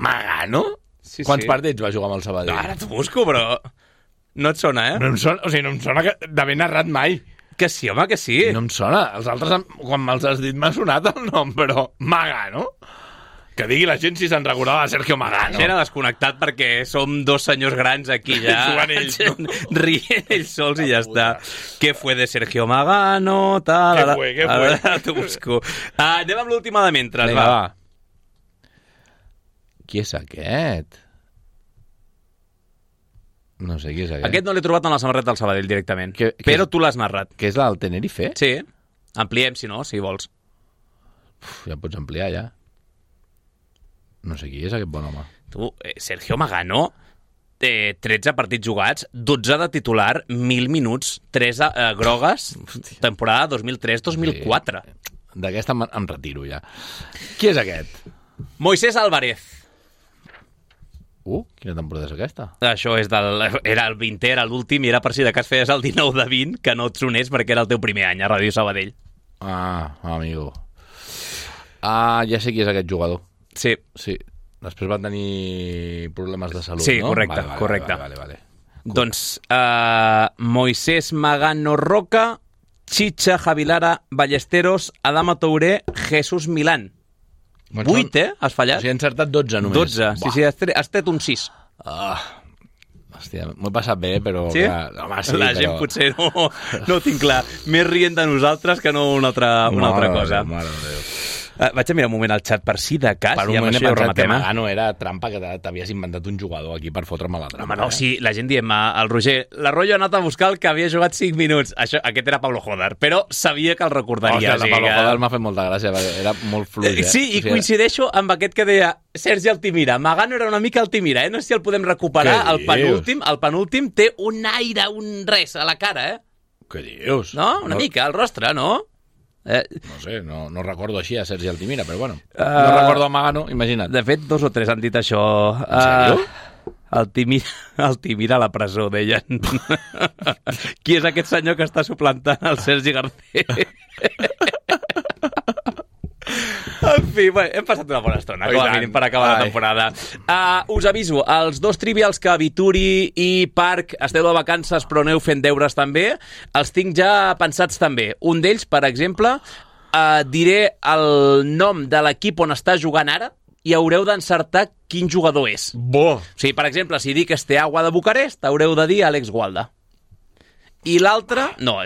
Magano? Sí, Quants sí. partits va jugar amb el Sabadell? Ara t'ho busco, però... No et sona, eh? No em sona, o sigui, no em sona que d'haver narrat mai. Que sí, home, que sí. No em sona. Els altres, quan me'ls has dit, m'ha sonat el nom, però... Magano? Que digui la gent si se'n recordava de Sergio Magano. Era desconnectat perquè som dos senyors grans aquí ja. Jugant ells, no? Rient ells sols i ja està. Què fue de Sergio Magano? Tal, què fue, què fue? Ara t'ho busco. Uh, anem amb l'última de mentre. Vinga, va. va. Qui és aquest? No sé qui és aquest. Aquest no l'he trobat en la samarreta del Sabadell directament. Que, que però és... tu l'has narrat. Que és el Tenerife? Sí. Ampliem, si no, si vols. Uf, ja pots ampliar, ja. No sé qui és aquest bon home. Tu, eh, Sergio Magano, eh, tretze partits jugats, dotze de titular, mil minuts, tres eh, grogues, Hòstia. Temporada dos mil tres dos mil quatre. Sí. D'aquesta em, em retiro, ja. Qui és aquest? Moisés Álvarez. Uh, quina temporada és aquesta? Això és del... Era el vintè, era l'últim, i era per si de cas feies el dinou de vint, que no et sonés perquè era el teu primer any a Ràdio Sabadell. Ah, amigo. Ah, ja sé qui és aquest jugador. Sí. Sí. Després va tenir problemes de salut, sí, no? correcte, vale, vale, correcte. Vale, vale, vale. Doncs uh, Moisés Magano Roca, Chicha Javilara Ballesteros, Adama Touré, Jesús Milán. Bueno, Vuit, eh? Has fallat? O sigui, he encertat dotze només. Dotze, sí, sí, has tret, has tret un sis. Ah, hòstia, m'ho he passat bé, però... Sí? Clar, home, sí, La però... gent potser no, no ho tinc clar. Més rient de nosaltres que no una altra, una altra cosa. Déu, mare de Déu. Uh, vaig a mirar un moment al xat per si de cas. Per un i amb moment he això ja ho pensat que rematem, eh? Magano era trampa, que t'havies inventat un jugador aquí per fotre'm a la trampa. Home, no, eh? sí, la gent diem, el Roger, l'Arroyo ha anat a buscar el que havia jugat cinc minuts. Això, aquest era Pablo Joder, però sabia que el recordaria. Hòstia, o sigui la Pablo que... Joder m'ha fet molta gràcia, perquè era molt fluix, eh? Sí, i o sigui, coincideixo amb aquest que deia Sergi Altimira. Magano era una mica Altimira, eh? No sé si el podem recuperar. Què El penúltim, dius? el penúltim té un aire, un res a la cara, eh? Què dius? No? Una no, mica, el rostre, no? Eh, No sé, no, no recordo així a Sergi Altimira, però bueno. Uh, no recordo a Magano, imagina't. De fet, dos o tres han dit això. En sèrio? Uh, Altimira, Altimira a la presó, deien. Qui és aquest senyor que està suplantant el Sergi Garcés? En fi, bé, hem passat una bona estona, com a mínim, per acabar la temporada. Uh, us aviso, els dos trivials que Vituri i Parc esteu de vacances però aneu fent deures també, els tinc ja pensats també. Un d'ells, per exemple, uh, diré el nom de l'equip on està jugant ara i haureu d'encertar quin jugador és. Bo! O sigui, per exemple, si dic Steaua de Bucarest, haureu de dir Àlex Gualda. I l'altre... No,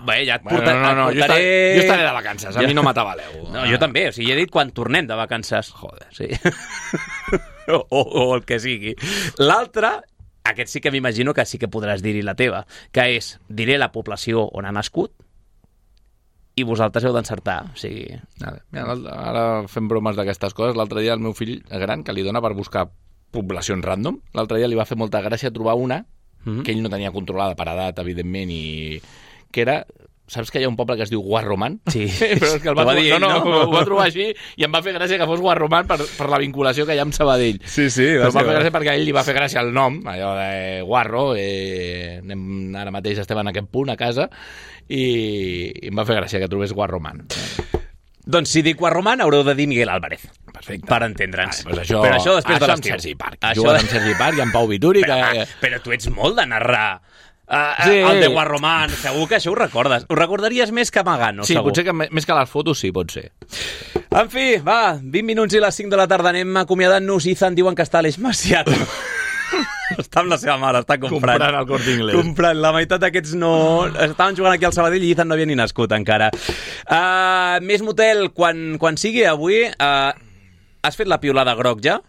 bé, ja et Bueno, portaré... no, no, no, et jo, portaré... estaré, jo estaré de vacances, a mi no m'atabaleu. No, jo també, o sigui, he dit quan tornem de vacances. Joder, sí. o, o el que sigui. L'altre, aquest sí que m'imagino que sí que podràs dir-hi la teva, que és, diré la població on ha nascut i vosaltres heu d'encertar, o sigui... Mira, ara fem bromes d'aquestes coses. L'altre dia el meu fill gran, que li dona per buscar poblacions random, l'altre dia li va fer molta gràcia trobar una mm-hmm. que ell no tenia controlada per edat, evidentment, i que era... Saps que hi ha un poble que es diu Guarromán? Sí. Però és que el va, va trobar, dir ell, no, no, no? ho va trobar així i em va fer gràcia que fos Guarromán per, per la vinculació que hi ha amb Sabadell. Sí, sí. Però em va fer gràcia perquè a ell li va fer gràcia el nom, allò de Guarro, eh, anem, ara mateix estem en aquest punt a casa, i, i em va fer gràcia que trobés Guarromán. Doncs si dic Guarromán haureu de dir Miguel Álvarez. Perfecte. Per entendre'ns. Vale, doncs això, però això després això de amb l'estiu. Sergi Parc. Això Jugant de... amb Sergi Parc i amb Pau Vituri. Però, que... ah, però tu ets molt de narrar. Uh, Sí. El de Guarromán, segur que això ho recordes. Ho recordaries més que Magano, Sí, segur. potser que me- més que les fotos, sí, pot ser. En fi, va, vint minuts i les cinc de la tarda anem acomiadant-nos. Ethan diuen que està a l'Eix Maciat. Està amb la seva mare, està comprant. Comprant el Corte Inglés. Comprant. La meitat d'aquests no... Estaven jugant aquí al Sabadell i Ethan no havia ni nascut encara. Uh, més motel, quan, quan sigui avui... Uh, has fet la piolada groc ja?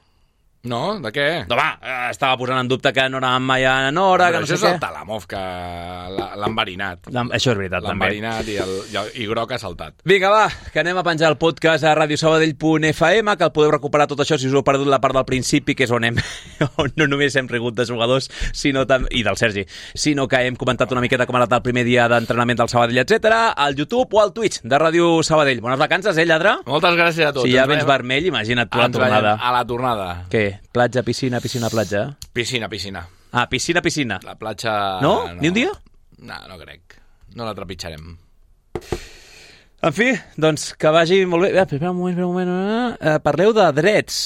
No? De què? No, va, eh, estava posant en dubte que no anàvem mai a Nora, que Però no això sé és què. el Talamov, que l'ha l'ha enverinat. L'ha- Això és veritat, L'ha també. enverinat i, el, i, el, i groc ha saltat. Vinga, va, que anem a penjar el podcast a radiosabadell punt f m, que el podeu recuperar tot això si us heu perdut la part del principi, que és on, hem, on no només hem rigut de jugadors sinó tam... i del Sergi, sinó que hem comentat una miqueta com ha anat el primer dia d'entrenament del Sabadell, etcètera, al YouTube o al Twitch de Ràdio Sabadell. Bones vacances, eh, lladre? Moltes gràcies a tots. Si ja Ens vens veiem- vermell, imagina't tu la Ens veiem tornada. a la tornada. Què? Platja, piscina, piscina, platja? Piscina, piscina. Ah, piscina, piscina. La platja... No? Ni un dia? No, no crec. No la trepitjarem. En fi, doncs que vagi molt bé. Eh, Espera un moment, espera un moment. Eh, parleu de drets.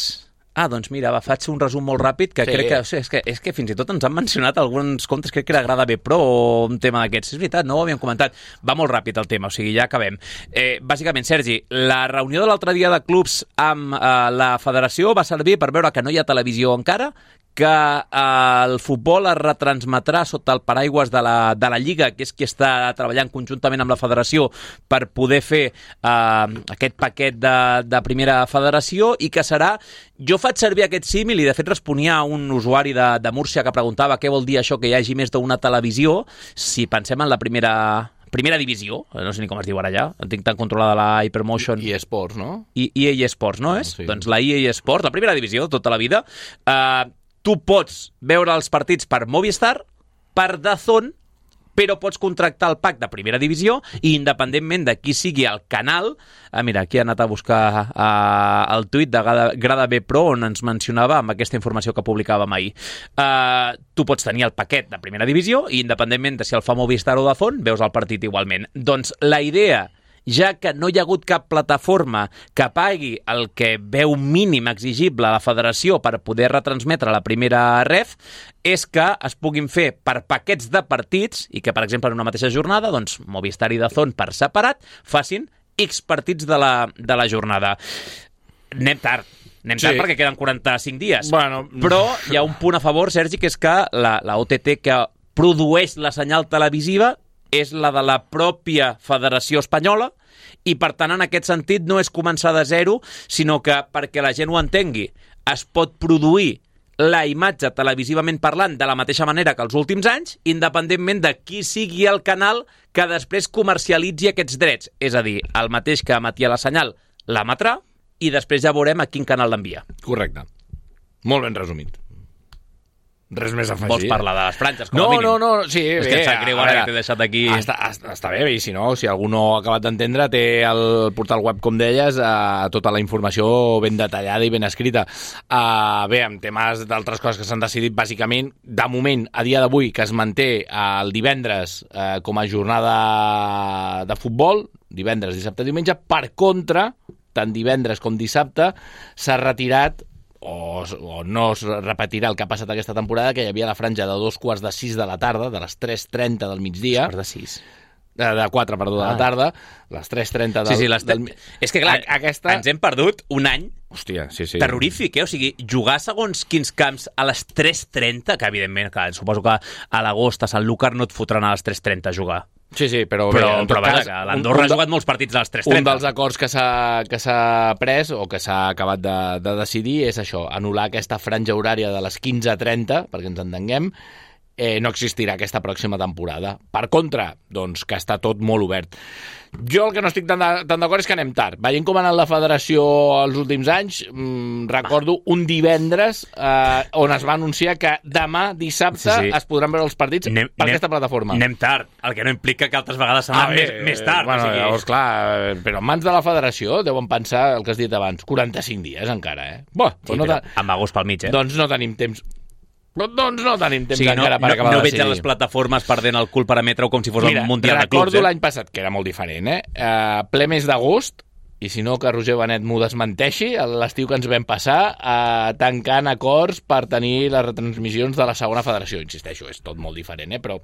Ah, doncs mira, va, faig un resum molt ràpid que Sí. crec que, o sigui, és que... És que fins i tot ens han mencionat alguns comptes, crec que era Grada B Pro o un tema d'aquests. És veritat, no ho havíem comentat. Va molt ràpid el tema, o sigui, ja acabem. Eh, bàsicament, Sergi, la reunió de l'altre dia de clubs amb eh, la federació va servir per veure que no hi ha televisió encara, que eh, el futbol es retransmetrà sota el paraigües de la, de la Lliga, que és qui està treballant conjuntament amb la federació per poder fer eh, aquest paquet de, de primera federació, i que serà... Jo faig servir aquest símil i de fet responia a un usuari de, de Múrcia que preguntava què vol dir això que hi hagi més d'una televisió si pensem en la primera... Primera divisió, no sé ni com es diu ara ja, en tinc tan controlada la Hypermotion. I esports, no? I, E A Sports, no és? Sí. Doncs la E A Sports, la primera divisió, tota la vida. Uh, tu pots veure els partits per Movistar, per D A Z N, però pots contractar el pack de primera divisió i independentment de qui sigui el canal... Ah, mira, aquí ha anat a buscar uh, el tuit de Grada, Grada B Pro on ens mencionava amb aquesta informació que publicàvem ahir. Uh, tu pots tenir el paquet de primera divisió i independentment de si el fa Movistar o D A Z N, veus el partit igualment. Doncs la idea ja que no hi ha hagut cap plataforma que pagui el que veu mínim exigible a la federació per poder retransmetre la primera ref, és que es puguin fer per paquets de partits i que, per exemple, en una mateixa jornada, doncs, Movistar i DAZN per separat facin X partits de la, de la jornada. Anem tard. Anem tard sí. perquè queden quaranta-cinc dies. Bueno. Però hi ha un punt a favor, Sergi, que és que la, la O T T que produeix la senyal televisiva és la de la pròpia Federació Espanyola i, per tant, en aquest sentit, no és començar de zero, sinó que, perquè la gent ho entengui, es pot produir la imatge televisivament parlant de la mateixa manera que els últims anys, independentment de qui sigui el canal que després comercialitzi aquests drets. És a dir, el mateix que emetia la senyal l'emetrà i després ja veurem a quin canal l'envia. Correcte. Molt ben resumit. Res més a afegir. Vols parlar de les franges, com no, a mínim? No, no, no, sí, és bé. És que em sap greu ara que t'he deixat aquí... Està, està, està bé, i si no, si algú no ha acabat d'entendre, té el portal web, com deies, eh, tota la informació ben detallada i ben escrita. Eh, bé, amb temes d'altres coses que s'han decidit, bàsicament, de moment, a dia d'avui, que es manté el divendres eh, com a jornada de futbol, divendres, dissabte, diumenge, per contra, tant divendres com dissabte, s'ha retirat O, o no es repetirà el que ha passat aquesta temporada, que hi havia la franja de dos quarts de sis de la tarda, de les tres trenta del migdia. Quarts de sis. De, de quatre, perdó, ah. de la tarda, les tres trenta del... Sí, sí, les del... És que, clar, a, aquesta... ens hem perdut un any Hòstia, sí, sí. terrorífic, eh? O sigui, jugar segons quins camps a les tres trenta, que evidentment, clar, suposo que a l'agost a Sant Lúcar no et fotran a les tres trenta a jugar. Sí, sí, però... Però, bé, però vaja, que l'Andorra ha jugat molts partits a les tres trenta. Un dels acords que s'ha que s'ha pres o que s'ha acabat de, de decidir és això, anul·lar aquesta franja horària de les quinze trenta, perquè ens entenguem, eh, no existirà aquesta pròxima temporada. Per contra, doncs, que està tot molt obert. Jo el que no estic tan, de, tan d'acord és que anem tard. Veient com ha anat la federació els últims anys, mmm, recordo un divendres eh, on es va anunciar que demà, dissabte, sí, sí. es podran veure els partits anem, per anem, aquesta plataforma. Anem tard, el que no implica que altres vegades s'han anat ah, més, més tard. Bueno, o sigui... llavors, clar, però en mans de la federació deuen pensar el que has dit abans, quaranta-cinc dies encara, eh? Bo, sí, no però amb agost pel mig, eh? Doncs no tenim temps... Però doncs no tenim temps sí, encara no, per acabar no, de decidir. No decidir. veig les plataformes perdent el cul per emetre-ho com si fos Mira, un mundial de clubs. Recordo eh? l'any passat, que era molt diferent, eh? Uh, ple mes d'agost, i si no que Roger Benet m'ho desmenteixi, l'estiu que ens vam passar uh, tancant acords per tenir les retransmissions de la segona federació. Insisteixo, és tot molt diferent, eh? Però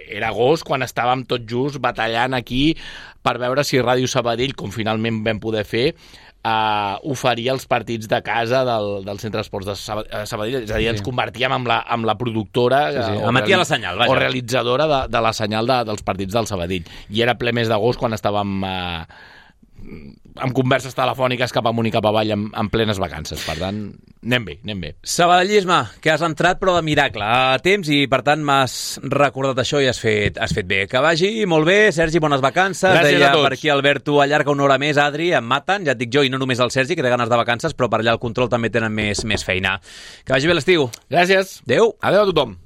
era agost quan estàvem tot just batallant aquí per veure si Ràdio Sabadell, com finalment vam poder fer, Uh, oferia els partits de casa del, del Centre d'Esports de Sabadell, és a dir, ens convertíem en la, en la productora sí, sí. O, reali- la senyal, o realitzadora de, de la senyal de, dels partits del Sabadell, i era ple mes d'agost quan estàvem uh, amb converses telefòniques cap amunt i cap avall en, en plenes vacances, per tant anem bé, anem bé. Sabadellisme, que has entrat però de miracle a temps i per tant m'has recordat això i has fet, has fet bé. Que vagi molt bé, Sergi, bones vacances. Gràcies Deia a tots. Per aquí Alberto, allarga una hora més, Adri, em maten, ja et dic jo, i no només el Sergi, que té ganes de vacances, però per allà el control també tenen més, més feina. Que vagi bé l'estiu. Gràcies. Adéu. Adéu a tothom.